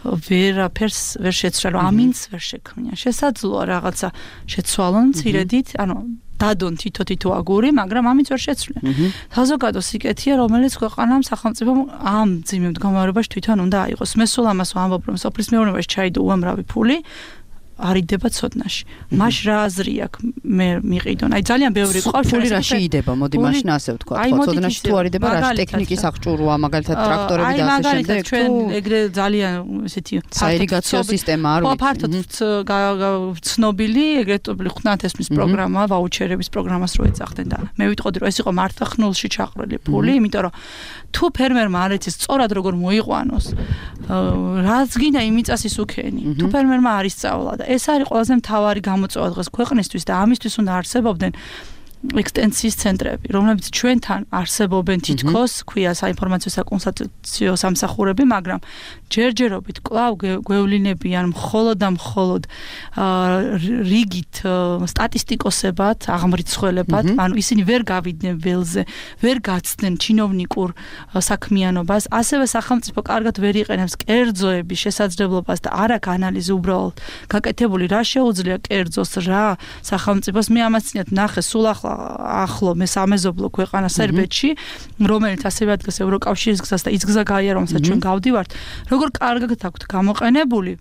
ვერაფერს ვერ შეცვლენ, ამინც ვერ შექმნიან. შესაძლოა რაღაცა შეცვალონ ცირედით, ანუ დადონ თითო აგური, მაგრამ ამით ვერ შეცვლიან. საზოგადო სიკეთეა, რომელიც ქვეყანამ სახელმწიფომ ამ ძიმე მდგომარეობაში თვითონ უნდა აიღოს. მე სულ ამას ვამბობ, რომ სოფლის მეურნეობაში ჩაიდო უამრავი ფული, არიდება ცოდნაში. მაშ რა აზრი აქვს მე მიყიდონ. აი ძალიან ბევრი ყავს ფული რა შეიდება, მოდი მაშინ ასე ვთქვა. ხო, ცოდნაში თუ არიდება რა ტექნიკის აღჭურვა, მაგალითად ტრაქტორები და ასე შემდეგ. აი ჩვენ ეგრე ძალიან ესეთი საირიგაციო სისტემა არ ვიცი. ხო, ფართოდ ცნობილი ეგრეთ ხნათესმის პროგრამა, ვაუჩერების პროგრამას რო ეძახდნენ და მე ვიტყოდი რომ ეს იყო მართლა ხნულში ჩაყრილი ფული, იმიტომ რომ თუ ფერმერმა არ იცის სწორად როგორ მოიყვანოს, რაც გინდა იმიწას ის უქენი. თუ ფერმერმა არ ისწავლა და ეს არის ყველაზე მთავარი გამოწვევა დღეს ქვეყნისთვის და ამისთვის უნდა არსებობდნენ ექსტენსიის ცენტრები, რომლებიც ჩვენთან არსებობენ თითქოს, ქვია საინფორმაციო საკონსულტაციო სამსახურები, მაგრამ ჯერჯერობით კვლავ გვევლინებიან მხოლოდ და მხოლოდ რიგით სტატისტიკოსებად, აღმრიცხველებად, ანუ ისინი ვერ გავიდნენ ველზე, ვერ გაცდნენ ჩინოვნიკურ საქმიანობას, ასევე სახელმწიფო კარგად ვერ იყენებს კერძოების შესაძლებლობას და არ აქვს ანალიზი უბრალოდ გაკეთებული, რა შეუძლია კერძოს, რა სახელმწიფოს. მე ამას წინათ ნახე სულ ახლო მე სამეზობლო ქვეყანა სერბეთში, რომელიც ასევე ადგას ევროკავშირის გზას და ის გზა გაიარა, რომელსაც ჩვენ გავდივართ, როგორ კარგად აქვთ გამოყენებული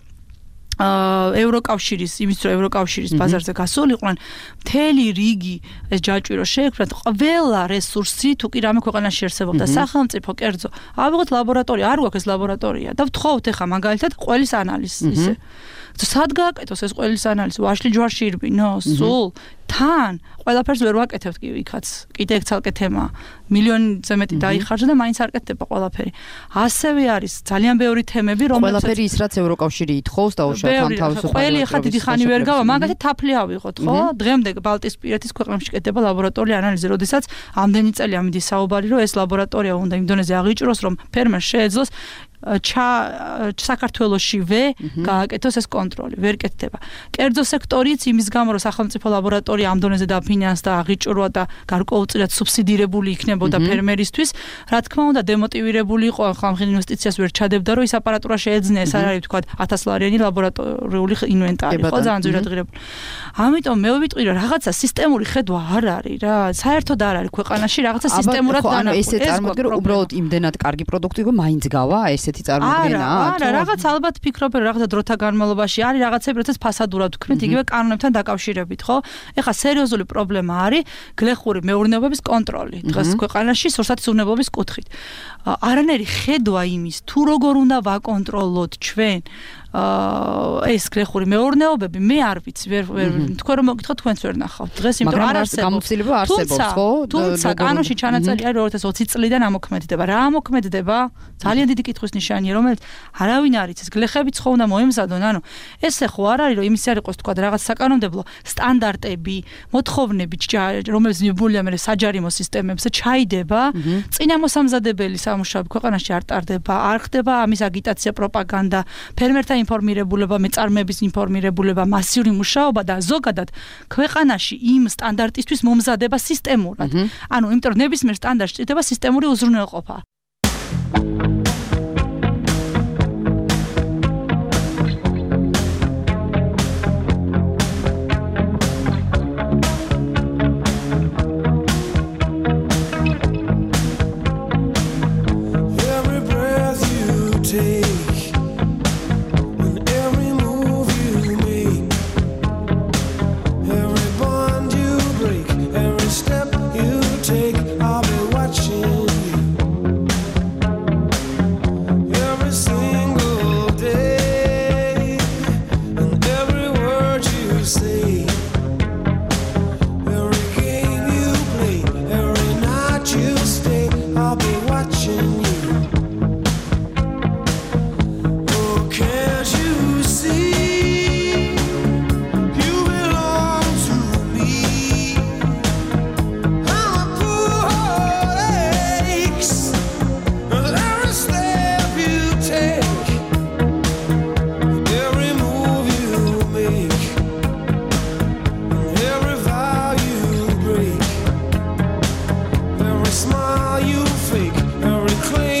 ევროკავშირის, იმის რომ ევროკავშირის ბაზარზე გასულიყვნენ, მთელი რიგი ეს ჯაჭვი რომ შეექმნათ, ყველა რესურსი თუ კი რამე ქვეყანაში არსებობდა სახელმწიფო კერძო, ავიღოთ ლაბორატორია, არ გვაქვს ეს ლაბორატორია და ვთხოვთ ახლა მაგალითად ყველის ანალიზს ისე. სად გააკეთოს ეს ყველის ანალიზი? ვაშლი ჯვარში ირბინო, სულ თან ყველაფერს ვერ ვაკეთებთ კი იქაც. კიდე ეგ ცალკე თემაა. მილიონზე მეტი დაიხარჯა და მაინც არ კეთდება ყველაფერი. ასევე არის ძალიან ბევრი თემები, რომელსაც ყველაფერი ის რაც ევროკავშირი ითხოვს დაუშვათ თავისუფლად. ყველი ახლა დიდი ხანი ვერ გავა, მაგათი თაფლი ავიღოთ, ხო? დღემდე ბალტიისპირეთის ქვეყნებში კეთდება ლაბორატორიული ანალიზი, როდესაც ამდენი წელი ამიდის საუბარი, რომ ეს ლაბორატორია უნდა იმ დონეზე აღიჭროს, რომ ფერმერს შეეძლოს საქართველოშივე გააკეთოს ეს კონტროლი, ვერ კეთდება. კერძო სექტორიც იმის გამო, რომ სახელმწიფო ლაბორატორია ამ დონეზე დაფინანსდა, აღიჭრვა და გარკვეულწილად სუბსიდირებული იქნებოდა ფერმერისთვის, რა თქმა უნდა, დემოტივირებული იყო, ახლა ამ ინვესტიციას ვერ ჩადებდა, რომ ის აპარატურა შეეძინა, ეს არ არის თქვა 1000-ლარიანი ლაბორატორიული ინვენტარი, ხო, ძალიან ძვირად ღირებული. ამიტომ მე ვიტყვი, რომ რაღაცა სისტემური ხედვა არ არის რა, საერთოდ არ არის ქვეყანაში რაღაცა სისტემურად ანუ ესე წარმოდგენ, რომ უბრალოდ იმდენად კარგი პროდუქტი იყო, მაინც გავა ესეთი წარმოდგენა? არა, რაღაც ალბათ ფიქრობ, რომ რაღაცა დროთა განმავლობაში არის რაღაცები, როდესაც ფასადურად ვქმნით იგივე კანონებთან დაკავშირებით, ხო? ეხლა სერიოზული პრობლემა არის გლეხური მეურნეობების კონტროლი დღეს ქვეყანაში სურსათის უვნებლობის კუთხით. არანაირი ხედვა იმის, თუ როგორ უნდა ვაკონტროლოთ ჩვენ ეს გლეხური მეურნეობები, მე არ ვიცი, თქვენ რომ მოგითხოთ, თქვენც ვერ ნახავთ. დღეს იმიტომ არ არსებობს. გამოცდილება არსებობს, ხო? თუმცა კანონში ჩანაწერი არის 2020 წლიდან ამოქმედება. რა ამოქმედება? ძალიან დიდი კითხვის ნიშანია, რომელიც არავინ არ იცის. გლეხებიც ხო უნდა მოემზადონ, ანუ ესე ხო არ არის, რომ იმის არ იყოს თქვა რაღაც საკანონმდებლო სტანდარტები, მოთხოვნები, რომელიც მიბულია მე საჯარიმო სისტემებზე ჩაიდება, წინა მოსამზადებელი სამუშაოები ქვეყანაში არ ტარდება, არ ხდება ამის აგიტაცია, პროპაგანდა, ფერმერთა ინფორმირებულება, მეწარმეების ინფორმირებულება, მასიური მუშაობა და ზოგადად ქვეყანაში იმ სტანდარტისთვის მომზადება სისტემურად. ანუ იმიტომ რომ ნებისმიერ სტანდარტში ჭირდება სისტემური უზრუნველყოფა. Smile you fake, every claim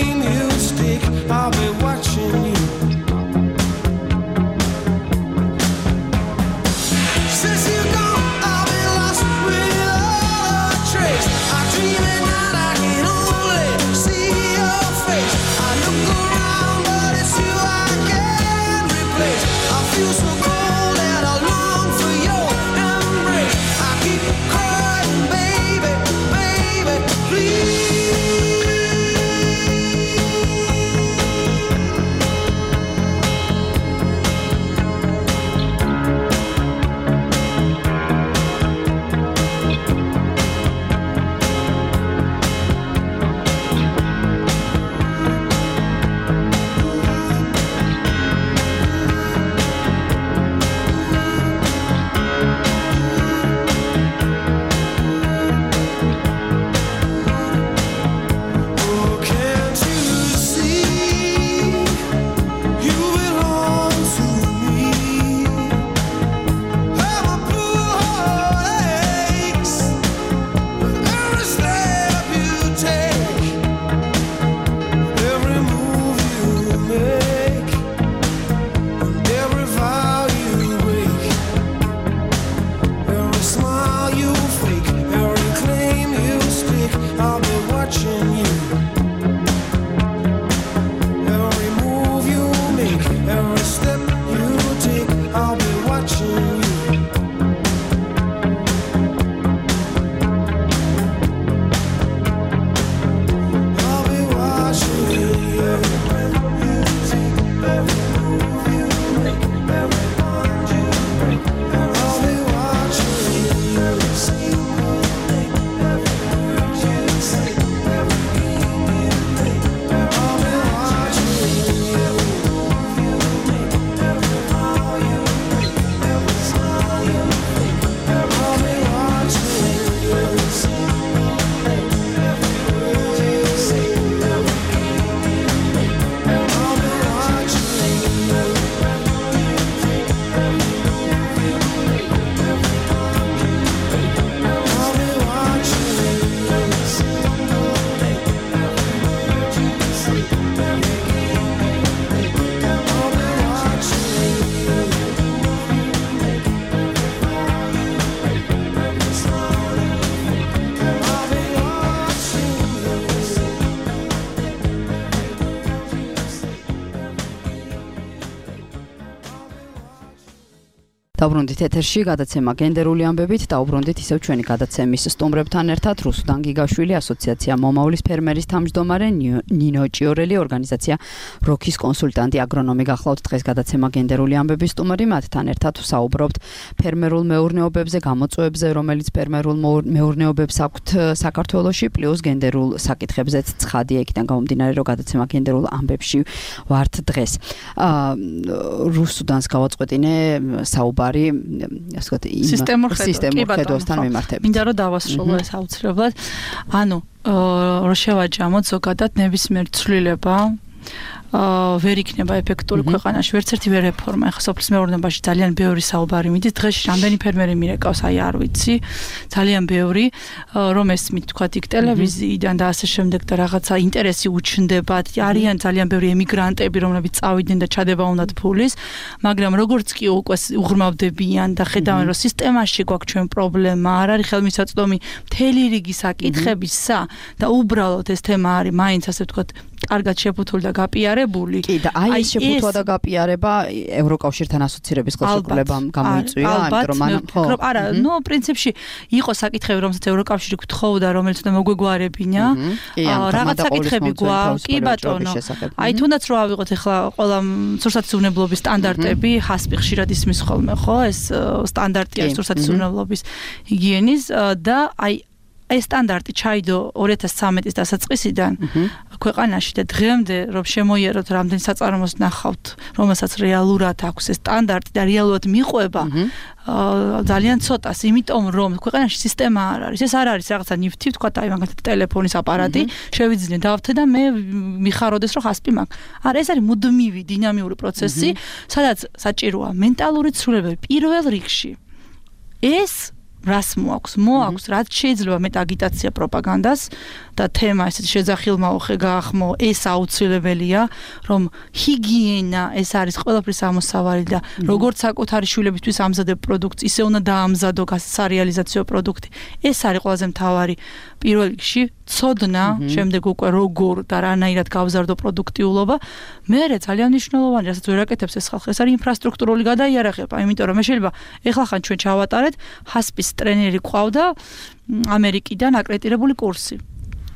დაუბრუნდით ეთერში გადაცემა გენდერული ამბებით, დაუბრუნდით ისევ ჩვენი გადაცემის სტუმრებთან ერთად რუსუდან გიგაშვილი, ასოციაცია მომავლის ფერმერის თავმჯდომარე, ნინო ჭიორელი, ორგანიზაცია როქის კონსულტანტი, აგრონომი გახლავთ დღეს გადაცემა გენდერული ამბების სტუმარი, მათთან ერთად ვსაუბრობთ ფერმერულ მეურნეობებზე, გამოწვევებზე, რომელიც ფერმერულ მეურნეობებს აქვთ საქართველოში, პლუს გენდერულ საკითხებზეც ცხადია, იქიდან გამომდინარე, რომ გადაცემა გენდერულ ამბებში ვართ დღეს. რუსუდანს გავაწყვეტინე საუბარი, ასე ვთქვათ, სისტემურ ხედვასთან მიმართებით. მინდა რომ დავასრულო ეს აუცილებლად. ანუ რო შევაჯამოთ ზოგადად ნებისმიერ ცვლილება ვერ იქნება ეფექტური ქვეყანაში, ვერც ერთი ვერ რეფორმა. ახლა სოფლის მეურნეობაში ძალიან ბევრი საუბარი მიდის. დღეში რამდენი ფერმერი მირეკავს, არ ვიცი. ძალიან ბევრი, რომ ესმით თქვათ იქ ტელევიზიიდან და ასე შემდეგ და რაღაცა ინტერესი უჩნდებათ. არიან ძალიან ბევრი ემიგრანტები, რომლებიც წავიდნენ და ჩადება უნდათ ფულის, მაგრამ როგორც კი უკვე უღრმავდებიან და ხედავენ, რომ სისტემაში გვაქვს ჩვენ პრობლემა, არ არის ხელმისაწვდომი მთელი რიგი საკითხებისა და უბრალოდ ეს თემა არის მაინც ასე ვთქვათ კარგად შეფუთული და გაპიარებული. კი და ეს შეფუთვა და გაპიარება ევროკავშირთან ასოცირების ხელშეკრულებამ გამოიწვია, იმიტომ რომ არა, პრინციპში იყო საკითხები, რომელსაც ევროკავშირი გთხოვდა, რომელიც უნდა მოგვეგვარებინა. რაღაც საკითხები გვაქვს, კი ბატონო. თუნდაც რო ავიღოთ ახლა ყველა სურსათისუნებლობის სტანდარტები, ჰასპი ხშირად ისმის ხოლმე, ხო? ეს სტანდარტია სურსათისუნებლობის ჰიგიენის და ეს სტანდარტი ჩაიდო 2013 დასაწყისიდან ქვეყანაში და დღემდე რომ შემოიეროთ რამდენი საწარმოს ნახავთ, რომელსაც რეალურად აქვს ეს სტანდარტი და რეალურად მიყვება ძალიან ცოტას, იმიტომ რომ ქვეყანაში სისტემა არ არის. ეს არ არის რაღაცა ნიფთი, ვთქვათ, აი მაგათ ტელეფონის აპარატი, შევიძინე დავთე და მე მიხაროდეს რომ ხასპი მაქვს. არა, ეს არის მუდმივი დინამიური პროცესი, სადაც საჭიროა მენტალური ცვლილებები პირველ რიგში. ეს რას მოაქვს, რაც შეიძლება მეტ აგიტაცია პროპაგანდას და თემა ესეთი შეძახილმაოხე გაახმო, ეს აუცილებელია, რომ ჰიგიენა ეს არის ყველაფრის ამოსავალი და როგორც საკუთარი შვილებისთვის ამზადებ პროდუქტს, ისე უნდა დაამზადო სარეალიზაციო პროდუქტი. ეს არის ყველაზე მთავარი პირველ რიგში, ცოდნა, შემდეგ უკვე როგორ და რანაირად გავზარდო პროდუქტიულობა. მერე ძალიან მნიშვნელოვანი, რასაც ვერ აკეთებს ეს ხალხი, ეს არის ინფრასტრუქტურული გადაიარაღება, იმიტომ რომ შეიძლება ეხლა ჩვენ ჩავატარეთ ჰასპის ტრენერი ყავდა ამერიკიდან აკრედიტებული კურსი.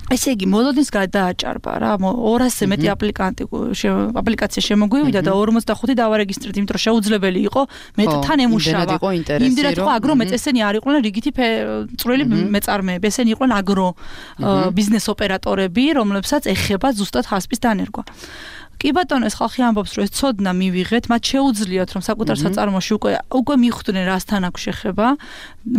ესე იგი, მოლოდინს გადააჭარბა რა, 200-ზე მეტი აპლიკაცია შემოგვივიდა და 45 დავარეგისტრირეთ, იმიტომ რომ შეუძლებელი იყო თან ემუშავა. იმდენად იყო აგრომეც, ესენი არ იყვნენ რიგითი წვრილი მეწარმეები, ესენი იყვნენ აგრო ბიზნეს ოპერატორები, რომლებსაც ეხება ზუსტად ჰასპის დანერგვა. კი ბატონო, ეს ხალხი ამბობს, რომ ეს ცოდნა მივიღეთ, მათ შეუძლიათ, რომ საკუთარ საწარმოში უკვე მიხვდნენ რასთან აქვს შეხება,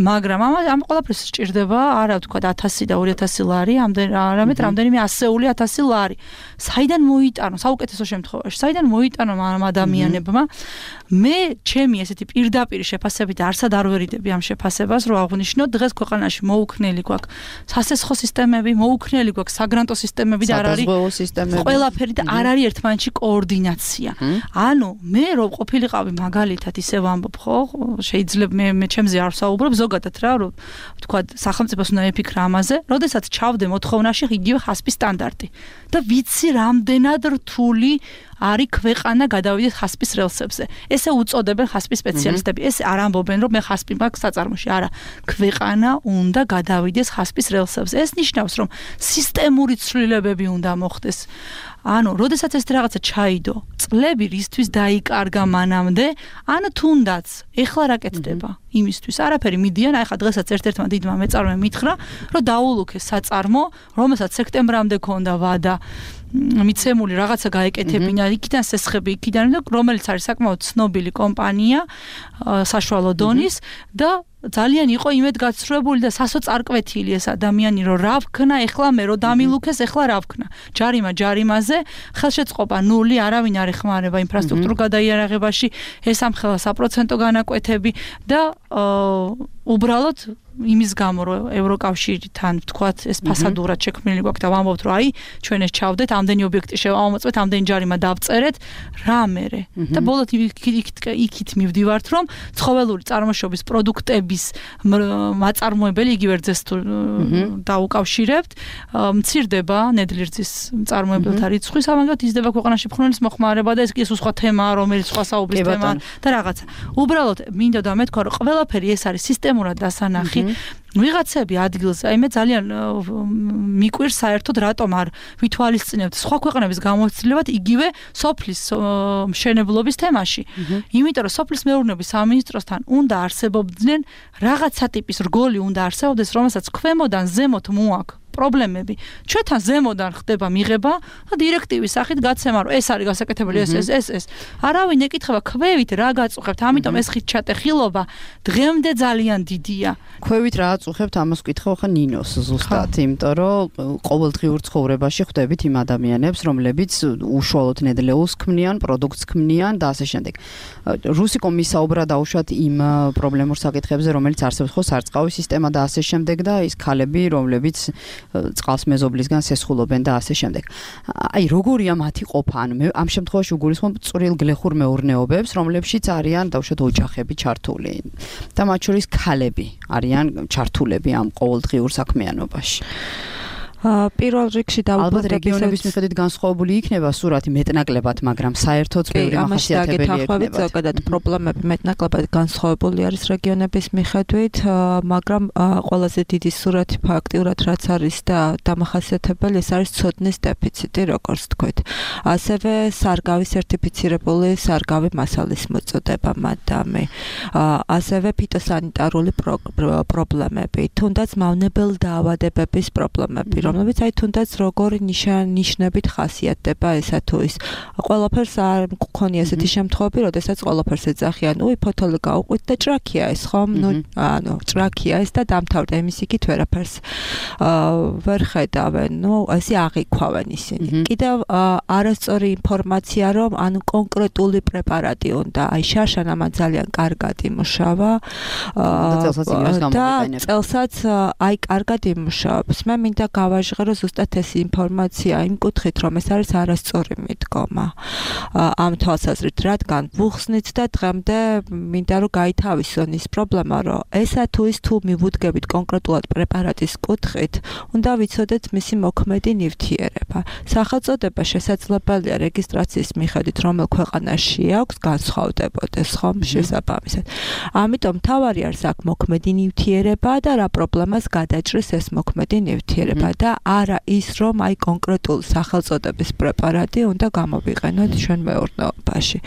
მაგრამ ამ ყველაფერს სჭირდება, არა ვთქვათ 1000 და 2000 ლარი, არამედ რამდენიმე ასეული 1000 ლარი. საიდან მოიტანო, საუკეთესო შემთხვევაში, საიდან მოიტანო ამ ადამიანებმა? მე ჩემი ესეთი პირდაპირი შეფასებით არსად არ ვერიდები ამ შეფასებას, რომ აღვნიშნოთ, დღეს ქვეყანაში მოუქნელი გვაქვს სასესხო სისტემები, მოუქნელი გვაქვს საგრანტო სისტემები და არ არის ყველაფერი და არ არის ერთმანეთში კოორდინაცია. ანუ მე რომ ყოფილიყავი მაგალითად ისევ ამბობ, ხო, შეიძლება მე ჩემზე არ ვსაუბრობ, ზოგადად რა, რომ ვთქვათ, სახელმწიფოს უნდა ეფიქრა ამაზე, როდესაც ჩავდე მოთხოვნაში იგივე ჰასპის სტანდარტი და ვიცი რამდენად რთული არის ქვეყანა გადავიდეს ჰასპის რელსებზე. ესე უწოდებენ ჰასპის სპეციალისტები. ეს არ ამბობენ, რომ მე ჰასპი მაქვს საწარმოში. არა, ქვეყანა უნდა გადავიდეს ჰასპის რელსებზე. ეს ნიშნავს, რომ სისტემური ცვლილებები უნდა მოხდეს. ანუ, როდესაც ეს რაღაცა ჩაიდო, წლები რისთვის დაიკარგა მანამდე, ან თუნდაც ეხლა რა კეთდება იმისთვის. არაფერი მიდიან, აი ხა დღესაც ერთ-ერთმა დიდმა მეწარმემ მითხრა, რომ დაულუქეს საწარმო, რომელსაც სექტემბრამდე ქონდა ვადა მიცემული რაღაცა გაეკეთებინა, იქიდან სესხები, იქიდან, რომელიც არის საკმაოდ ცნობილი კომპანია, საშუალო დონის და ძალიან იყო იმედგაცრუებული და სასოწარკვეთილი ეს ადამიანი, რომ რა ვქნა, ეხლა მე რომ დამილუქეს, ეხლა რა ვქნა. ჯარიმაზე, ხელშეწყობა ნული, არავინ არ ეხმარება ინფრასტრუქტურულ გადაიარაღებაში, ეს ამხელა საპროცენტო განაკვეთები და უბრალოდ იმის გამო რომ ევროკავშირთან ვთქვათ ეს ფასადურად შექმნილი გვაქვს და ვამბობთ რომ აი ჩვენ ეს ჩავდეთ ამდენი ობიექტი შევამოწმეთ ამდენი ჯარიმა დავწერეთ რა მერე და ბოლოდ იქით მივდივართ რომ ცხოველური წარმოშობის პროდუქტების მაწარმოებელი იგივე რძეს თუ დაუკავშირებთ მცირდება ნედლი-რძის მწარმოებელთა რიცხვი სამაგად იზრდება ქვეყანაში ფხვნილის მოხმარება და ეს სხვა თემაა რომელიც სხვა საუბრის თემაა და რაღაცა უბრალოდ მინდა და მეთქვა რომ ყველაფერი ეს არის სისტემურად დასანახი ვიღაცები ადგილზე, აი მე ძალიან მიკვირს საერთოდ რატომ არ ვითვალისწინებთ სხვა ქვეყნების გამოცდილებად იგივე სოფლის მშენებლობის თემაში. იმიტომ რომ სოფლის მეურნეობის სამინისტროსთან უნდა არსებობდნენ რაღაცა ტიპის რგოლი უნდა არსებობდეს, რომელსაც ქვემოდან ზემოთ მოაქვს პრობლემები. ჩვენთან ზემოდან ხდება მიღება და დირექტივის სახით გაცემა რომ ეს არის გასაკეთებელი ეს. არავინ ეკითხება ქვევით რა გაწუხებთ, ამიტომ ეს ხილობა დღემდე ძალიან დიდია. ქვევით რა აწუხებთ, ამას ვკითხავ ხა ნინოს ზუსტად, იმიტომ რომ ყოველდღიურ ცხოვრებაში ხვდებით იმ ადამიანებს, რომლებიც უშუალოდ ნედლეულს ქმნიან, პროდუქტს ქმნიან და ასე შემდეგ. რუსი კომისია საუბრა დაუშვათ იმ პრობლემურ საკითხებზე, რომელიც არსებობს ხო სარწყავი სისტემა და ასე შემდეგ და ის ქალები, რომლებიც წყალს მეზობლისგან სესხულობენ და ასე შემდეგ. აი როგორია მათი ყოფა? ანუ ამ შემთხვევაში უგულისხმობ წვრილ გლეხურ მეურნეობებს, რომლებშიც არიან დაუშვათ ოჯახები ჩართული და მათ შორის ქალები არიან ჩართულები ამ ყოველდღიურ საქმიანობაში. პირველ რიგში ალბათ რეგიონების მიხედვით განსხვავებული იქნება სურათი მეტნაკლებად, მაგრამ საერთოდ ბევრი მახასიათებელი იქნება. ზოგადად პრობლემები მეტნაკლებად განსხვავებული არის რეგიონების მიხედვით, მაგრამ ყველაზე დიდი სურათი ფაქტიურად რაც არის და დამახასიათებელი ეს არის ცოდნის დეფიციტი, როგორც თქვით. ასევე სარგავი სერტიფიცირებული სარგავი მასალის მოწოდება მადამი. ასევე ფიტოსანიტარული პრობლემები, თუნდაც მავნებელ დაავადებების პრობლემები. რომლებიც აი თუნდაც როგორი ნიშნებით ხასიათდება ესა თუ ის. ყველაფერს არ მქონია ესეთი შემთხვევები, როდესაც ყველაფერს ეძახიან, უი ფოთოლი გაუყვით და ჭრაქია ეს, ხომ? ანუ ჭრაქია ეს და დამთავრდა იმის იქით ვერაფერს ვერ ხედავენ. ესე აღიქვავენ ისინი. კიდევ არასწორი ინფორმაცია, რომ ანუ კონკრეტული პრეპარატი უნდა, აი შაშან ამან ძალიან კარგად იმუშავა და წელსაც აი კარგად იმუშავებს. მე მინდა გავაჟღერო ზუსტად ეს ინფორმაცია იმ კუთხით, რომ ეს არის არასწორი მიდგომა. ამ თვალსაზრით, რადგან ვუხსნით და დღემდე მინდა რომ გაითავისონ ის პრობლემა, რომ ესა თუ ის თუ მივუდგებით კონკრეტულად პრეპარატის კუთხით, უნდა ვიცოდეთ მისი მოქმედი ნივთიერება. სახელწოდება შესაძლებელია რეგისტრაციის მიხედვით, რომელ ქვეყანაში აქვს, განსხვავდებოდეს ხომ შესაბამისად. ამიტომ თავარი არის აქ მოქმედი ნივთიერება და რა პრობლემას გადაჭრის ეს მოქმედი ნივთიერება და არა ის, რომ აი კონკრეტულ სახელწოდების პრეპარატი უნდა გამოვიყენოთ ჩვენ მეურნეობაში.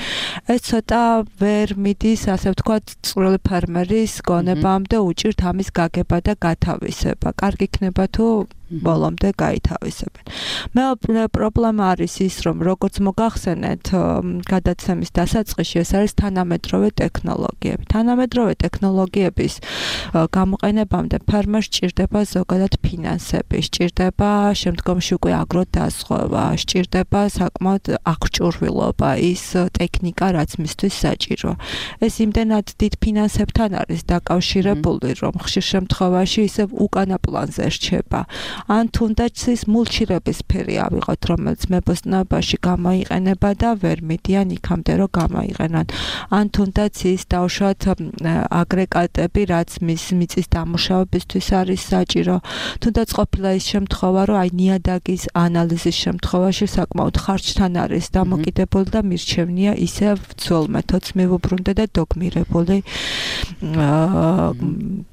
ეს ცოტა ვერ მიდის, ასე ვთქვათ, წვრილი ფერმერის გონებამდე უჭირთ ამის გაგება და გათავისება. კარგი იქნება თუ ბოლომდე გაითავისებენ. მეორე პრობლემა არის ის, რომ როგორც მოგახსენეთ, გადაცემის დასაწყისში ეს არის თანამედროვე ტექნოლოგიები. თანამედროვე ტექნოლოგიების გამოყენებამდე ფერმერს სჭირდება ზოგადად ფინანსები, სჭირდება შემდგომში უკვე აგროდაზღვევა, სჭირდება საკმაოდ აღჭურვილობა, ის ტექნიკა, რაც მისთვის საჭირო. ეს იმდენად დიდ ფინანსებთან არის დაკავშირებული, რომ ხშირ შემთხვევაში ისევ უკანა პლანზე რჩება. ან თუნდაც ის მულჩირების სფერი ავიღოთ, რომელიც მებოსტნეობაში გამოიყენება და ვერ მიდიან იქამდე, რომ გამოიყენან. ან თუნდაც ის დავუშვათ აგრეგატები, რაც მიწის დამუშავებისთვის არის საჭირო. თუნდაც ყოფილა ის შემთხვევა, რომ აი ნიადაგის ანალიზის შემთხვევაში საკმაოდ ხარჯთან არის დამოკიდებული და მირჩევნია ისევ ძველ მეთოდს მივუბრუნდე და დოგმირებული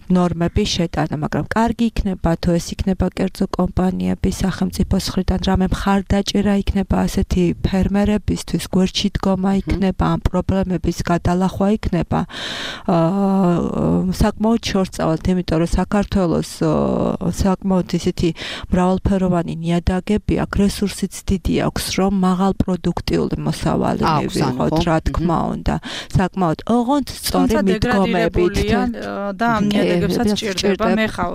ნორმები შეტანა, მაგრამ კარგი იქნება თუ ეს იქნება კერძო კომპანიების სახელმწიფოს მხრიდან რამე მხარდაჭერა იქნება ასეთი ფერმერებისთვის, გვერდში დგომა იქნება, ამ პრობლემების გადალახვა იქნება. საკმაოდ შორწავალთ, იმიტომ რომ საქართველოს საკმაოდ ისეთი მრავალფეროვანი ნიადაგები აქვს, რესურსიც დიდი აქვს, რომ მაღალ პროდუქტიული მოსავალი მივიღოთ, რა თქმა უნდა. საკმაოდ ოღონდ სწორი მიდგომებით და ამ ნიადაგებსაც ჭირდება. მე ხა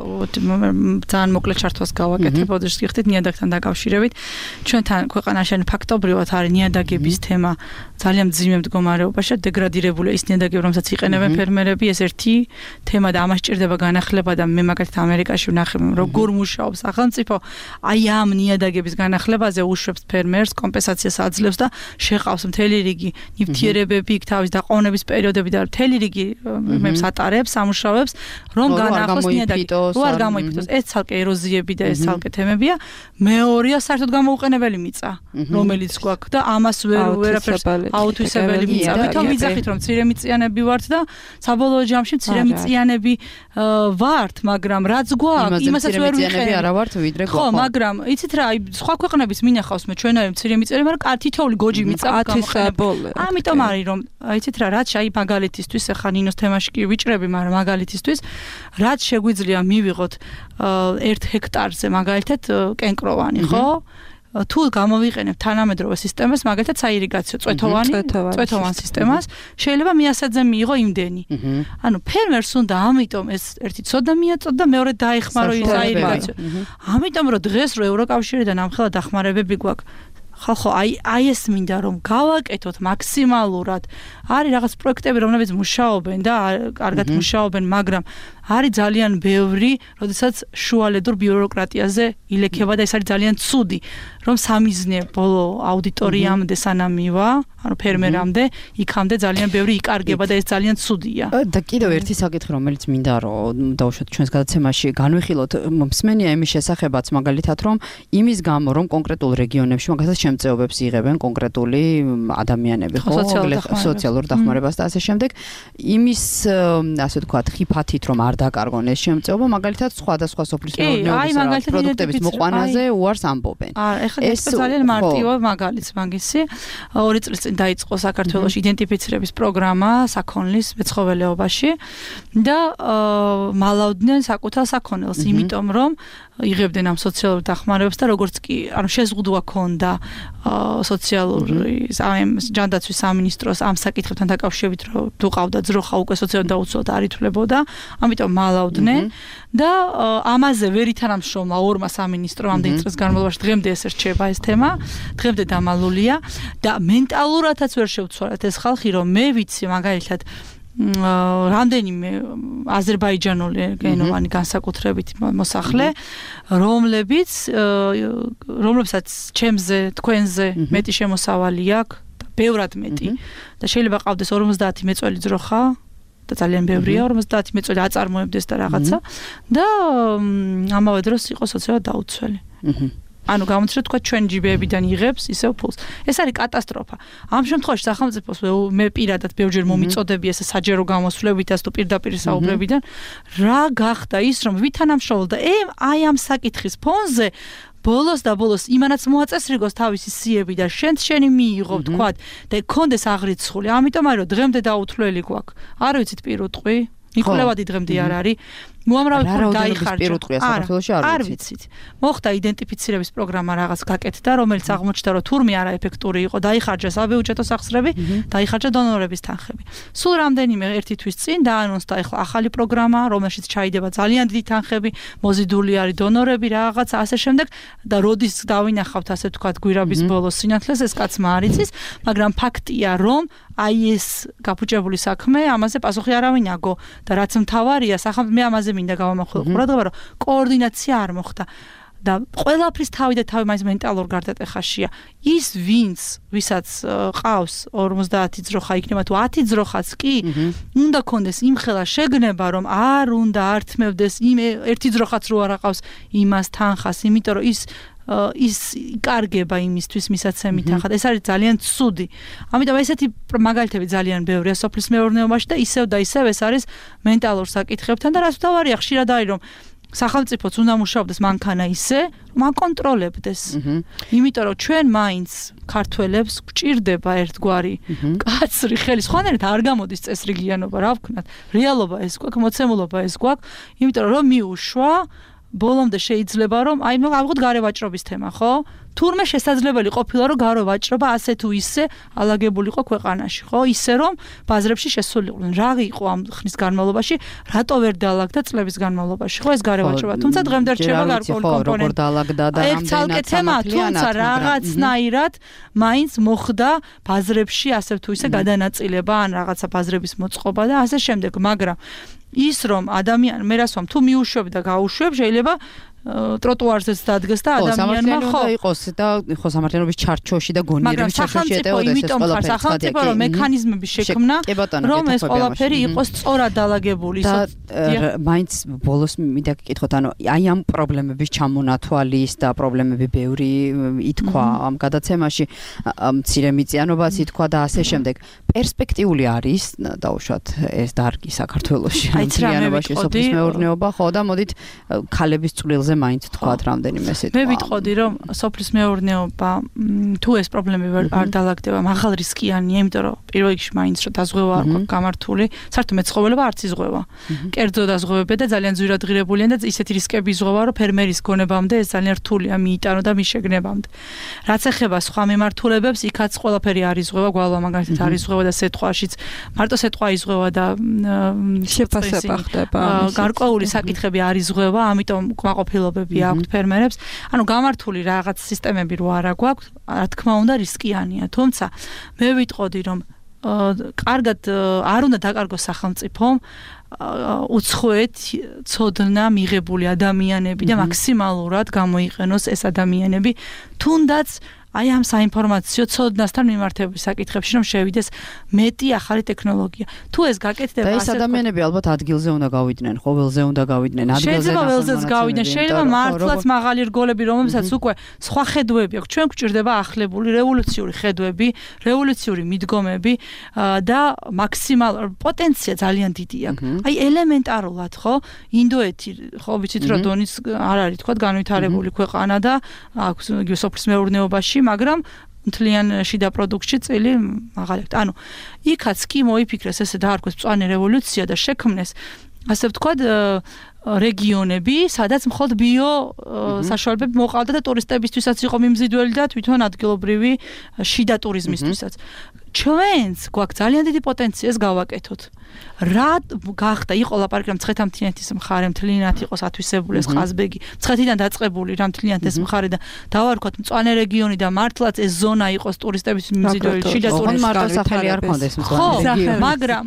ძალიან მოკლე ჩართვას გავაკეთებ, ოდეშ გიხდით ნიადაგთან დაკავშირებით. დაკავშირებით. ჩვენთან ქვეყანაში ფაქტობრივად არის ნიადაგების თემა ძალიან მძიმე მდგომარეობაში, დეგრადირებული ის ნიადაგები, რომელსაც იყენებენ ფერმერები, ეს ერთი თემა და ამას ჭირდება განახლება და მე მაგალითად ამერიკაში ვნახე როგორ მუშაობს სახელმწიფო აი ამ ნიადაგების განახლებაზე უშვებს ფერმერს, კომპენსაციას აძლევს და შეყავს მთელი რიგი ნივთიერებები, თავის დაყოვნების პერიოდები და მთელი რიგი მებს ატარებს, ამუშავებს, რომ განახოს ნიადაგი, რო არ გამოიფიტოს. ეს ცალკე ეროზიები და ეს ცალკე თემებია. მეორეა საერთოდ გამოუყენებელი მიწა, რომელიც გვაქვს და ამას ვერაფერს აუთვისებელი მიწა. თვითონ ვიძახით რომ მცირემიწიანები ვართ და საბოლოო ჯამში მცირემიწიანები ვართ, მაგრამ რაც გვაქვს, იმასაც ვერ ვიყენებ. არა ვართ ვიდრე ხო, მაგრამ იცით რა, აი სხვა ქვეყნების მინახავს მე ჩვენაირი მცირემიწიანები, მაგრამ თითოეული გოჯი მიწა გამოყენებული. ამიტომ არის რომ იცით რა, რაც აი მაგალითისთვის ახლა ნინოს თემაში კი ვიჭრები, მაგრამ მაგალითისთვის რაც შეგვიძლია მივიღოთ 1 ჰექტარზე მაგალითად კენკროვანი, ხო? თუ გამოვიყენებ თანამედროვე სისტემას, მაგალითად საირიგაციო წვეთოვან სისტემას, შეიძლება მიასაძე მიიღო იმდენი. ანუ ფერმერს უნდა ამიტომ ეს ერთი ცოდა მიაწოდო და მეორე დაეხმარო ის საირიგაციო. ამიტომ რომ დღეს რო ევროკავშირიდან ამხელა დახმარებები გვაქვს, ხალხო, აი ეს მინდა რომ გავაკეთოთ მაქსიმალურად. არის რაღაც პროექტები, რომლებიც მუშაობენ და კარგად მუშაობენ, მაგრამ არის ძალიან ბევრი, როდესაც შუალედურ ბიუროკრატიაზე ილექება და ეს არის ძალიან ცუდი, რომ სამიზნე ბოლო აუდიტორიამდე სანამ მივა, ანუ ფერმერამდე, იქამდე ძალიან ბევრი იკარგება და ეს ძალიან ცუდია. და კიდევ ერთი საკითხი, რომელიც მინდა რომ დავუშვათ ჩვენს გადაცემაში, განვიხილოთ მსმენია იმის შესახებაც, მაგალითად, რომ იმის გამო, რომ კონკრეტულ რეგიონებში მაგალითად შემწეობებს იღებენ კონკრეტული ადამიანები, ხო, სოციალურ დახმარებას და ასე შემდეგ, იმის ასე ვთქვათ, ხიფათით რომ არ დაკარგონ ეს შემწეობა, მაგალითად სხვადასხვა სოფლის მეურნეობის პროდუქტების მოყვანაზე უარს ამბობენ. ეს ძალიან მარტივი მაგალითს მაგისი 2 წლის წინ დაიწყო საქართველოში იდენტიფიცირების პროგრამა საქონლის მეცხოველეობაში და მალავდნენ საკუთარ საქონელს, იმიტომ რომ იღებდნენ ამ სოციალურ დახმარებებს და როგორც კი ანუ შეზღუდვა ქონდა სოციალური ჯანდაცვის სამინისტროს ამ საკითხებთან დაკავშირებით, რომ თუ ყავდა ძროხა უკვე სოციალურ დაუცველად არ ითვლებოდა, ამიტომ მალავდნენ და ამაზე ვერ ითანამშრომლა ორმა სამინისტრომ ამდენი წლის განმავლობაში. დღემდე ეს რჩება ეს თემა, დღემდე დამალულია და მენტალურადაც ვერ შევცვალეთ ეს ხალხი, რომ მე ვიცი მაგალითად რამდენიმე აზერბაიჯანული გენოვანი განსაკუთრებით მოსახლე, რომლებსაც ჩემზე, თქვენზე მეტი შემოსავალი აქვს, ბევრად მეტი და შეიძლება ყავდეს 50 მეწველი ძროხა და ძალიან ბევრია 50 მეწველი აწარმოებდეს და რაღაცა და ამავე დროს იყო სოციალურად დაუცველი. ანუ გამოჩნდა თქვა ჩვენ ჯიბეებიდან იღებს ისევ ფულს. ეს არის კატასტროფა. ამ შემთხვევაში სახელმწიფოს მე პირადად ბევრჯერ მომიწოდები ეს საჯარო გამოსვლებიდან თუ პირდაპირ საუბრებიდან რა გახდა ის რომ ვითანამშრომლდა აი ამ საკითხის ფონზე ბოლოს და ბოლოს იმანაც მოაწესრიგოს თავისი სიები და შენი მიიღო თქვა და კონდეს აღრიცხული. ამიტომ არის რომ დღემდე დაუთვლელი გვაქვს. არ ვიცით პირუტყვი ნიკოლევადი დღემდე არ არის. უამრავი ფული დაიხარჯა. არ ვიცით. მოხდა იდენტიფიცირების პროგრამა რაღაც გაკეთდა, რომელიც აღმოჩნდა, რომ თურმე არა ეფექტური იყო, დაიხარჯა საბიუჯეტო სახსრები, დაიხარჯა დონორების თანხები. სულ რამდენიმე ერთი თვის წინ დაანონსდა ახლა ახალი პროგრამა, რომელშიც ჩაიდება ძალიან დიდი თანხები, მოზიდული არის დონორები, რაღაც ასე შემდეგ და როდის დავინახავთ ასე ვთქვათ გვირაბის ბოლოს სინათლეს, ეს კაცმა არ იცის, მაგრამ ფაქტია, რომ აი ეს გაფუჭებული საქმე, ამაზე პასუხი არავინ აგო და რაც მთავარია, სახელმწიფო მე ამაზე მინდა გავამახვილო ყურადღება, რომ კოორდინაცია არ მოხდა და ყველაფრის თავი და თავი მაინც მენტალურ გარდატეხაშია. ის ვისაც ყავს 50 ძროხა იქნება თუ 10 ძროხაც კი, უნდა კონდეს იმხელა შეგნება, რომ არ უნდა ართმევდეს იმ ერთი ძროხაც რო არ აყავს იმას თანხას, იმიტომ რომ ის იკარგება იმისთვის მისაცემი თანხა. ეს არის ძალიან ცუდი. ამიტომ ესეთი მაგალითები ძალიან ბევრია სოფლის მეურნეობაში და ისევ ეს არის მენტალურ საკითხებთან და რაც თავარია ხშირად არის რომ სახელმწიფოც უნდა მუშაობდეს მანქანა ისე, რომ აკონტროლებდეს. იმიტომ რომ ჩვენ მაინც ქართველებს გვჭირდება ერთგვარი კაცრი ხელი. სხვანაირად არ გამოდის წესრიგიანობა, რა ვქნათ. რეალობა ეს გვაქვს, მოცემულობა ეს გვაქვს, იმიტომ რომ მიუშვა ბოლომდე შეიძლება რომ აი ავიღოთ გარევაჭრობის თემა, ხო? თურმე შესაძლებელი ყოფილა რომ გარო ვაჭრობა ასე თუ ისე ალაგებულიყო ქვეყანაში, ხო? ისე რომ ბაზრებში შესულიყვნენ. რა იყო ამ ხნის განმავლობაში, რატო ვერ დაალაგდა წლების განმავლობაში, ხო ეს გარე ვაჭრობა. თუმცა დღემდე რჩება გარკვეული კომპონენტი. როგორ დაალაგდა და რამდენად თუმცა რაღაცნაირად მაინც მოხდა ბაზრებში ასე თუ ისე გადანაწილება ან რაღაცა ბაზრების მოწყობა და ასე შემდეგ, მაგრამ ის რომ ადამიანი მე რას ვამ თუ მიუშვებ და გაუშვებ შეიძლება ტროტუარზეც დადგეს და ადამიანმა ხო იყოს და ხო სამართლიანობის ჩარჩოში და გონიერების ჩარჩოში ეტეოდეს ეს ყველაფერი. სახელმწიფო რომ მექანიზმები შექმნა რომ ეს ყველაფერი იყოს სწორად დაალაგებული. და მაინც ბოლოს მინდა გიკითხოთ, ანუ აი ამ პრობლემების ჩამონათვალის და პრობლემები ბევრი ითქვა ამ გადაცემაში, მცირე მიწიანობაც ითქვა და ასე შემდეგ. პერსპექტიული არის დაუშვათ ეს დარგი საქართველოში მიწიანობაში სოფლის მეურნეობა, ხო და მოდით ქალების წვლილზე მაინც თქვათ რამდენიმე სიტყვა. მე ვიტყოდი რომ სოფლის მეურნეობა თუ ეს პრობლემები არ დაალაგდება, მაღალ რისკიანია, იმიტომ რომ პირველ რიგში მაინც რომ დაზღვევა არ გვაქვს გამართული, საერთოდ მეცხოველება არც იზღვევა. კერძო დაზღვევები და ძალიან ძვირადღირებულია და ისეთი რისკები იზღვევა, რომ ფერმერის გონებამდე ეს ძალიან რთულია მიიტანო და მიშეგნებამდე. რაც ეხება სხვა მიმართულებებს, იქაც ყველაფერი არ იზღვევა, გვალვა მაგალითად არ იზღვევა და სეტყვაშიც მარტო სეტყვა იზღვევა და შეფასება ხდება. გარკვეული საკითხები არ იზღვევა, ამიტომ კმაყოფილებები აქვთ ფერმერებს. ანუ გამართული რაღაც სისტემები რო არა გვაქვს, რა თქმა უნდა რისკიანია. თუმცა მე ვიტყოდი რომ კარგად არ უნდა დაკარგოს სახელმწიფომ უცხოეთ ცოდნა მიღებული ადამიანები და მაქსიმალურად გამოიყენოს ეს ადამიანები, თუნდაც აი ამ საინფორმაციო ცოდნასთან მიმართების საკითხებში რომ შევიდეს მეტი ახალი ტექნოლოგია. თუ ეს გაკეთდება და ეს ადამიანები ალბათ ადგილზე უნდა გავიდნენ, ხო ველზე უნდა გავიდნენ, ადგილზე. შეიძლება ველზეც გავიდნენ, შეიძლება მართლაც მაღალი რგოლები, რომელსაც უკვე სხვა ხედვები აქვს. ჩვენ გვჭირდება ახლებული რევოლუციური ხედვები, რევოლუციური მიდგომები და მაქსიმალურ პოტენცია ძალიან დიდი აქვს. აი ელემენტარულად, ხო? ინდოეთი, ხო ვიცით რომ დონის არ არის თქვა განვითარებული ქვეყანა და აქვს სოფლის მეურნეობაში, მაგრამ მთლიან შიდა პროდუქტში წილი მაღალი. ანუ იქაც კი მოიფიქრეს ესე დაარქვეს მწვანე რევოლუცია და შექმნეს ასე ვთქვათ რეგიონები, სადაც მხოლოდ ბიო საშუალებები მოყავდა და ტურისტებისთვისაც იყო მიმზიდველი და თვითონ ადგილობრივი შიდა ტურიზმისთვისაც. ჩვენც გვაქვს ძალიან დიდი პოტენცია ეს გავაკეთოთ. რა გახდა იყო ლაპარაკი რომ მცხეთა-მთიანეთის მხარე მთლიანად იყოს ათვისებული ეს ყაზბეგი, მცხეთიდან დაწყებული რა მთლიანად ეს მხარე და დავარქვათ მწვანე რეგიონი და მართლაც ეს ზონა იყოს ტურისტების მიმზიდველი შიდა ტურიზმის მარტო სახელი არ ქონდეს მწვანე რეგიონი. მაგრამ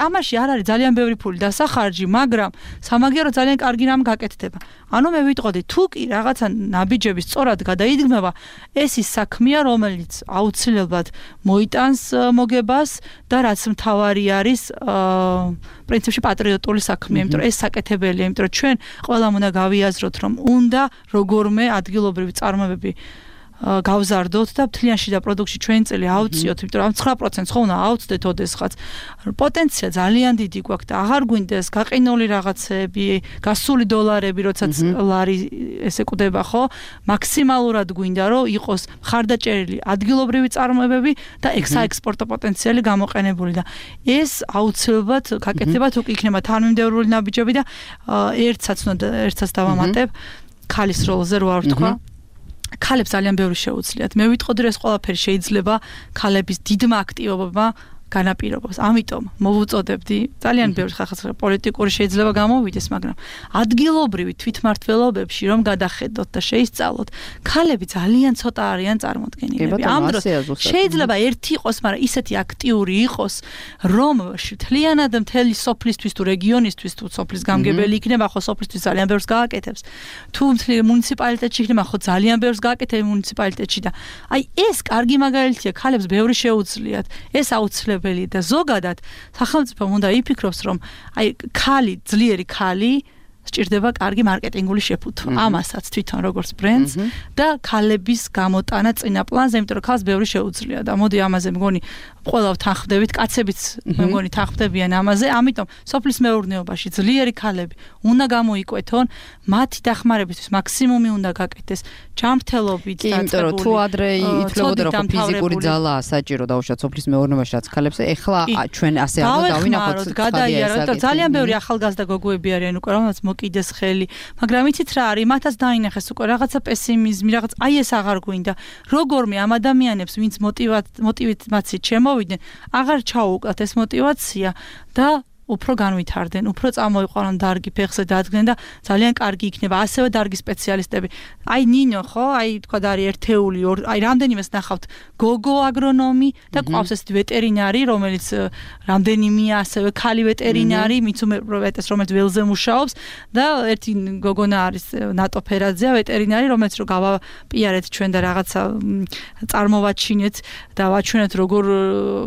ამაში არ არის ძალიან ბევრი ფული დასახარჯი, მაგრამ სამაგერო ძალიან კარგი რამ გაკეთდება. ანუ მე ვიტყოდი თუ კი რაღაცა ნაბიჯები სწორად გადაიდგმება, ეს ის საქმეა, რომელიც აუცილებლად მოიტანს მოგებას და რაც მთავარი არის პრინციპში პატრიოტული საქმეა, იმიტომ რომ ეს საკეთებელია, იმიტომ რომ ჩვენ ყველამ უნდა გავიაზროთ, რომ უნდა როგორმე ადგილობრივი წარმოებები გავზარდოთ და მთლიან შიდა პროდუქტში ჩვენი წელი ავწიოთ, იმიტომ რომ 9% ხო უნდა ავწდეთ ოდესღაც. პოტენცია ძალიან დიდი გვაქვს და აღარ გვინდეს გაყინული რაღაცები, გასული დოლარები, როდესაც ლარი ესე კვდება, ხო? მაქსიმალურად გვინდა რომ იყოს მხარდაჭერილი ადგილობრივი წარმოებები და საექსპორტო პოტენციალი გამოყენებული და ეს აუცილებლად გაკეთდება თუ კი იქნება თანმიმდევრული ნაბიჯები და ერთსაც დავამატებ ქალის როლზე რო არ ვთქვა. ქალებს ძალიან ბევრი შეუძლიათ. მე ვიტყოდი რომ ეს ყველაფერი შეიძლება ქალების დიდმა აქტივობებმა განაპირობოს. ამიტომ მოვუწოდებდი ძალიან ბევრი ხალხს პოლიტიკური შეიძლება გამოვიდეს, მაგრამ ადგილობრივი თვითმმართველობებში რომ გადახედოთ და შეისწავლოთ, ქალები ძალიან ცოტა არიან წარმოდგენილები. ამ დროს შეიძლება ერთი იყოს, მაგრამ ისეთი აქტიური იყოს, რომ მთლიანად მთელი სოფლისთვის თუ რეგიონისთვის თუ სოფლის გამგებელი იქნება, ხო სოფლისთვის ძალიან ბევრს გააკეთებს. თუ მთელი მუნიციპალიტეტში იქნება, ხო ძალიან ბევრს გააკეთებს მუნიციპალიტეტში და აი ეს კარგი მაგალითია, ქალებს ბევრი შეუძლიათ. ეს აუცილებლად და ზოგადად სახელმწიფომ უნდა იფიქროს რომ აი ძლიერი ქალი სჭირდება კარგი მარკეტინგული შეფუთვა. ამასაც თვითონ როგორც ბრენდს და ქალების გამოტანა წინა პლანზე, იმიტომ რომ ქალს ბევრი შეუძლია და მოდი ამაზე მგონი ყველა თანხმდებით, კაცებიც მე მგონი თანხმდებიან ამაზე, ამიტომ სოფლის მეურნეობაში ძლიერი ქალები უნდა გამოიკვეთონ, მათი დახმარებისთვის მაქსიმუმი უნდა გაკეთდეს ჯანმრთელობით და იმიტომ რომ თუ ადრე ითვლებოდა რომ ფიზიკური ძალაა საჭირო დაუშვათ სოფლის მეურნეობაში რაც ქალებს, ეხლა ჩვენ ასე არ დავინახოთ გადაიაროთ და ძალიან ბევრი ახალგაზრდა გოგოები არიან უკვე, რომელსაც გამოკიდეს ხელი, მაგრამ იცით რა არის, მათაც დაინახეს უკვე რაღაცა პესიმიზმი, რაღაც აი ეს აღარ გვინდა. როგორმე ამ ადამიანებს, ვინც მოტივაციით შემოვიდნენ, აღარ ჩაუუკლათ ეს მოტივაცია და უფრო განვითარდნენ, უფრო წამოიყვანონ დარგი ფეხზე დადგნენ და ძალიან კარგი იქნება ასევე დარგის სპეციალისტები. აი ნინო ხო, აი თქვა არის ერთეული, აი რამდენიმეს ნახავთ გოგო აგრონომი და ყავს ესეთი ვეტერინარი, რომელიც რამდენიმეა ასევე ქალი ვეტერინარი, მიცუმეტეს რომელიც ველზე მუშაობს და ერთი გოგონა არის ნატო ფერაძეა ვეტერინარი, რომელიც რო გავაპიარეთ ჩვენ და რაღაცა წარმოვაჩინეთ და ვაჩვენეთ როგორ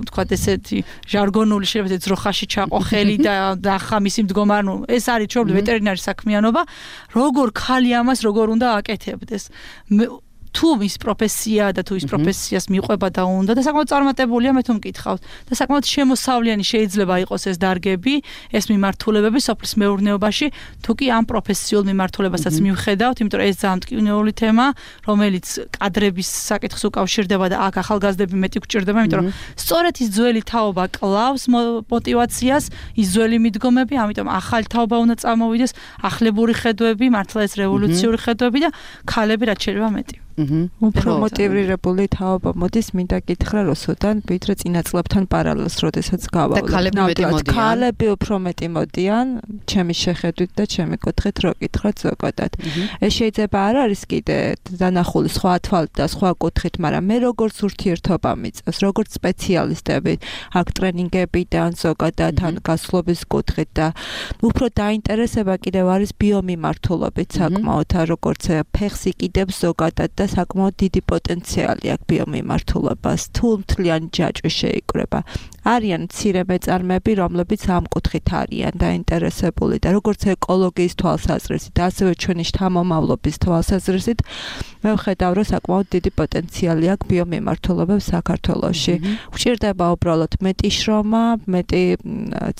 თქვა ესეთი ჟარგონული შეიძლება ძროხაში ჩაყო და ახლა მისი მდგომარეობა, ეს არის ჩვენი ვეტერინარი საქმიანობა, როგორ ხალი ამას როგორ უნდა აკეთებდეს. თუ ის პროფესია და თუ ის პროფესიას მიყვება და უნდა და საკმაოდ წარმატებულია მე თუ მკითხავთ და საკმაოდ შემოსავლიანი შეიძლება იყოს ეს დარგები, ეს მიმართულებები სოფლის მეურნეობაში, თუ კი ამ პროფესიულ მიმართულებასაც მივხედავთ, იმიტომ რომ ეს ძალიან მტკივნეული თემა, რომელიც კადრების საკითხს უკავშირდება და აქ ახალგაზრდები მეტი გვჭირდება, იმიტომ რომ სწორედ ის ძველი თაობა კლავს мотиваციას, ის ძველი მიდგომები, ამიტომ ახალი თაობა უნდა წამოვიდეს, ახლებური ხედვები, მართლა ეს რევოლუციური ხედვები და ქალები რაც შეიძლება მეტი. უფრო მოტივირებული თაობა მოდის მინდა გითხრა რუსუდან ვიდრე წინა წლებთან პარალელს როდესაც გავავლობ. ქალები უფრო მეტი მოდიან, ჩემი შეხედვით და ჩემი კუთხით რო გითხრათ ზოგადად. ეს შეიძლება არ არის კიდე დანახული სხვა თვალით და სხვა კუთხით, მაგრამ მე როგორც ურთიერთობა მიწევს, როგორც სპეციალისტები, აქ ტრენინგებიდან ზოგადად ან გასვლობის კუთხით და უფრო დაინტერესება კიდევ არის ბიომიმართულობით საკმაოდ, როგორც ფეხს იკიდებს ზოგადად და საკმაოდ დიდი პოტენციალი აქვს ბიომიმართულებას, თუ მთლიანი ჯაჭვი შეიკრება. არიან მცირე მეწარმეები, რომლებიც ამ კუთხით არიან დაინტერესებული და როგორც ეკოლოგიის თვალსაზრისით, ასევე ჩვენი შთამომავლობის თვალსაზრისით, მე ვხედავ, რომ საკმაოდ დიდი პოტენციალი აქვს ბიომიმართულებებს საქართველოში. გვჭირდება უბრალოდ მეტი შრომა, მეტი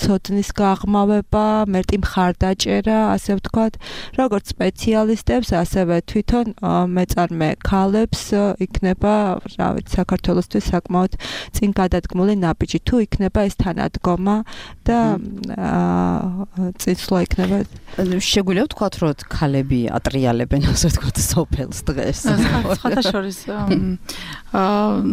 ცოდნის გაღრმავება, მეტი მხარდაჭერა, ასე ვთქვათ, როგორც სპეციალისტებს, ასევე თვითონ მეწარმე ქალებს იქნება, რა ვიცი, საქართველოსთვის საკმაოდ წინ გადადგმული ნაბიჯი. თუ იქნება ეს თანადგომა და წინსვლა იქნება. შეგვიძლია ვთქვათ, რომ ქალები ატრიალებენ, ასე ვთქვათ, სოფელს დღეს. სხვათა შორის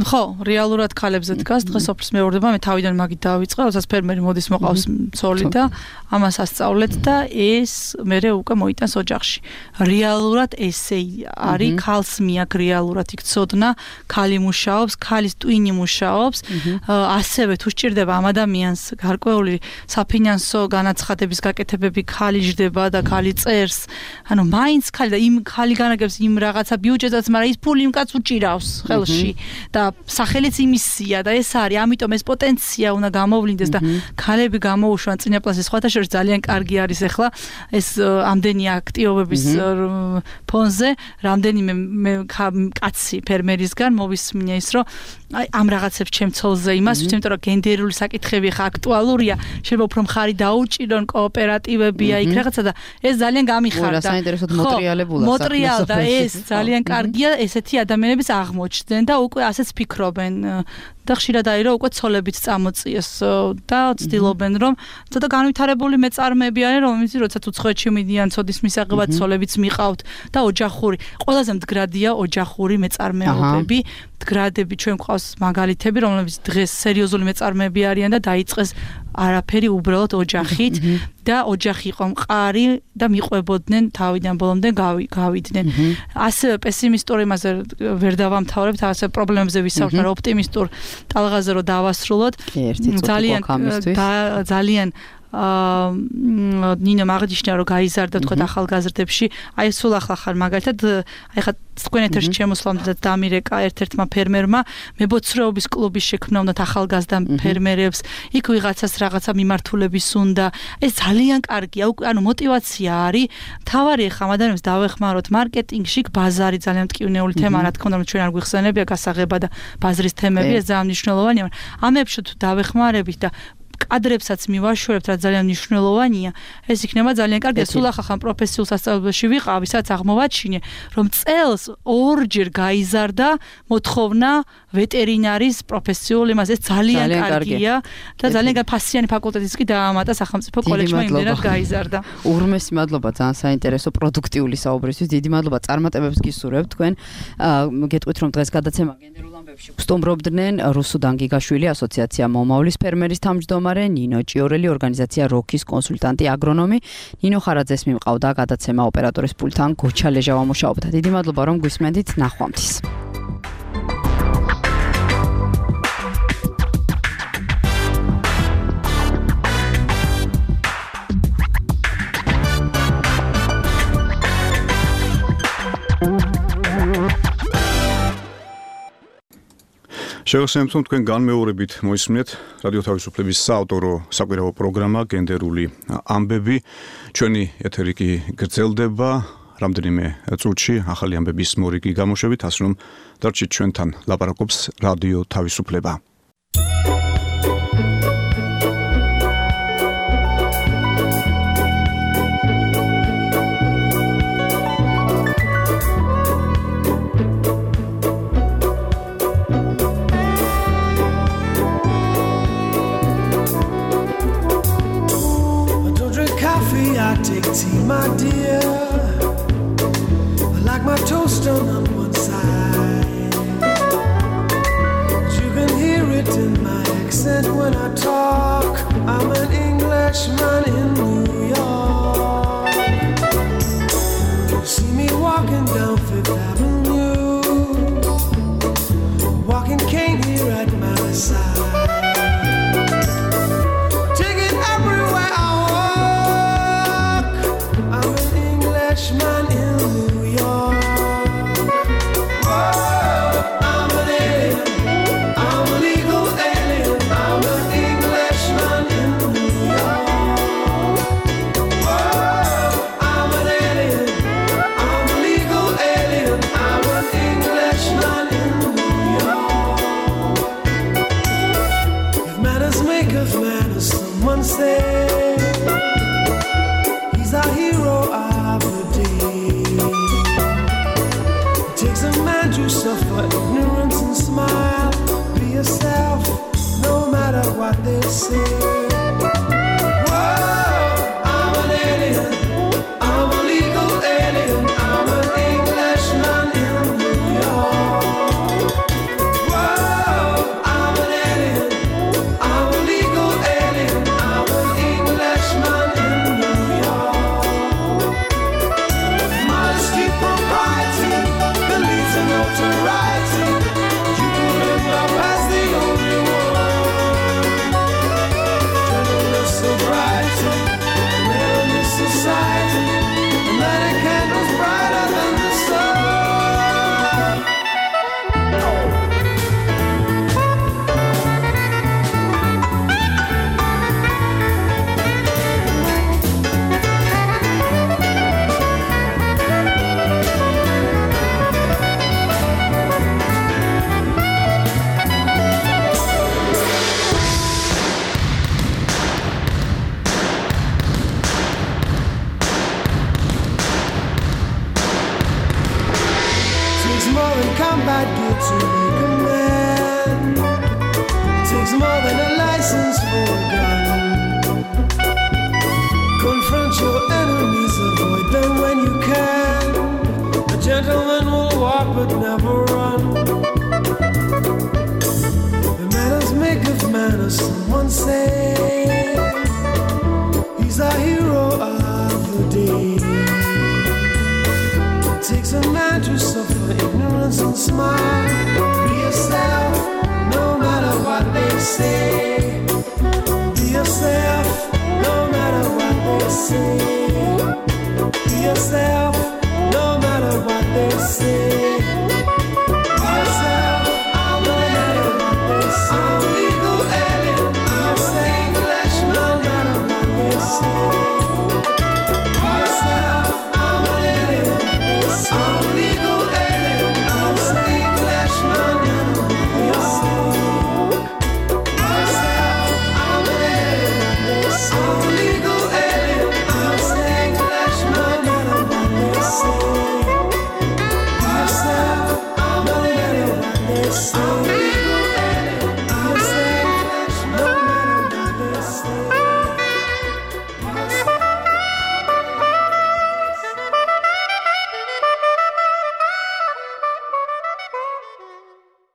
ხო, რეალურად ქალებზე დგას დღეს სოფლის მეურნეობა, მე თავიდან მაგით დავიწყე, როდესაც ფერმერი მოდის მოყავს ცოლი და ამას ასწავლეთ და ეს მერე უკვე მოიტანს ოჯახში. რეალურად ესე არის, ქალს მიაქვს რეალურად იქ ცოდნა, ქალი მუშაობს, ქალის ტვინი მუშაობს, ასევე თუ სჭირდება ამ ადამიანს გარკვეული საფინანსო განაცხადების გაკეთებები, ქალი ჯდება და ქალი წერს. ანუ მაინც ქალი და იმ ქალი განაგებს იმ რაღაცა ბიუჯეტსაც, მაგრამ ის ფული იმ კაცს უჭირავს ხელში და სახელიც იმისია და ეს არის, ამიტომ ეს პოტენცია უნდა გამოვლინდეს და ქალები გამოუშვან წინა პლანზე. სხვათა შორის ძალიან კარგი არის ახლა ეს ამდენი აქტიობების ფონზე, რამდენიმე კაცი ფერმერისგან მოვისმინე ის, რომ აი ამ რაღაცებს ჩემ ცოლზე იმას, იმიტომ რომ გენდერული საკითხები ხა აქტუალურია, შეიძლება უფრო მხარი დაუჭირონ კოოპერატივები აი იქ რაღაცა და ეს ძალიან გამიხარდა. საინტერესოდ მოტრიალებულა. მოტრიალდა ეს ძალიან კარგია, ესეთი ადამიანების აღმოჩნდნენ და უკვე ასეც ფიქრობენ. და ხშირად არის რომ უკვე ცოლებიც წამოწიეს და ცდილობენ რომ ცოტა განვითარებული მეწარმეები არიან, რომლებიც როდესაც უცხოეთში მიდიან ცოდის მისაღებად ცოლებიც მიყავთ და ოჯახური, ყველაზე მდგრადია ოჯახური მეწარმეობები. მდგრადები ჩვენ გვყავს მაგალითები, რომლებიც დღეს სერიოზული მეწარმეები არიან და დაიწყეს არაფერი უბრალოდ ოჯახით და ოჯახი იყო მყარი და მიყვებოდნენ თავიდან ბოლომდე გავიდნენ. ასევე პესიმისტურ იმაზე ვერ დავამთავრებთ, ასე პრობლემებზე ვისაუბრეთ, მაგრამ ოპტიმისტურ ტალღაზე რო დავასრულოთ. ძალიან ნინო მაგდიშნა რო გაიზარდა თქვა ახალგაზრდებში, აი სულ ახლა მაგალითად აი ხა თქვენ ეთერში შემოსვლამდე და დამირეკა ერთ-ერთმა ფერმერმა მებოცრეობის კლუბის შექმნა უნდათ ახალგაზრდა ფერმერებს, იქ ვიღაცას რაღაცა მიმართულების უნდა. ეს ძალიან კარგია, ანუ мотиваცია არის. თავარი ხა ადამიანებს დავეხმაროთ მარკეტინგში, ბაზარი ძალიან მტკივნეული თემა, რა თქმა უნდა, ჩვენ არ გვიხსენებია გასაღება და ბაზრის თემები, ეს ძალიან მნიშვნელოვანია, მაგრამ ამებში თუ დავეხმარებით და კადრებსაც მივაშორებთ, რაც ძალიან მნიშვნელოვანია, ეს იქნება ძალიან კარგი. სულ ახახან პროფესიულ სასწავლებელში ვიყავი, სადაც აღმოვაჩინე, რომ წელს ორჯერ გაიზარდა მოთხოვნა ვეტერინარის პროფესიულ იმას. ეს ძალიან კარგია და ძალიან ფასიანი ფაკულტეტიც კი დაამატა სახელმწიფო კოლეჯმა იმდენად გაიზარდა. უღრმესი მადლობა ძალიან საინტერესო პროდუქტიული საუბრისთვის. დიდი მადლობა წარმატებებს გისურვებთ თქვენ. გეტყვით რომ დღეს გადაცემა გენდერულ ამბებში სტუმრობდნენ რუსუდან გიგაშვილი, ასოციაცია მომავლის ფერმერის თავმჯდომარე, ნინო ჭიორელი, ორგანიზაცია როქის კონსულტანტი, აგრონომი, ნინო ხარაძეს მიმყავდა გადაცემა ოპერატორის პულტთან გოჩა ლეჟავა მუშაობდა. დიდი მადლობა რომ გვისმენდით, ნახვამდის. შევახსენებთ, რომ თქვენ განმეორებით მოისმინეთ რადიო თავისუფლების საავტორო საკვირაო პროგრამა გენდერული ამბები. ჩვენი ეთერი კი გრძელდება რამდენიმე წუთში ახალი ამბების მორიგი გამოშვებით, ასე რომ დარჩით ჩვენთან, ლაპარაკობს რადიო თავისუფლება. Tea, my dear, I like my toast on one side. You can hear it in my accent when I talk. I'm an Englishman in New York. You see me walking down Fifth Avenue, walking cane here at my side. Man in New York. Whoa, I'm an alien. I'm a legal alien. I'm an Englishman in New York. Whoa, I'm an alien. I'm a legal alien. I'm an Englishman in New York. If manners make of manners, someone say he's a hero. To suffer ignorance and smile. Be yourself, no matter what they say. Whoa, I'm an alien. I'm a legal alien. I'm an Englishman in New York. Whoa, I'm an alien. I'm a legal alien. I'm an Englishman in New York. Modesty, propriety, notoriety, you could live up as the only one. Gentleness, sobriety, male in this society, and lighting candles brighter than the sun. Combat gear to make a man. It takes more than a license for a gun. Confront your enemies, avoid them when you can. A gentleman will walk but never run. The manners make of manners, someone say. He's a hero of the day. It takes a man to suffer ignorance and smile. Be yourself, no matter what they say. Be yourself, no matter what they say. Be yourself, no matter what they say. Be yourself. soul.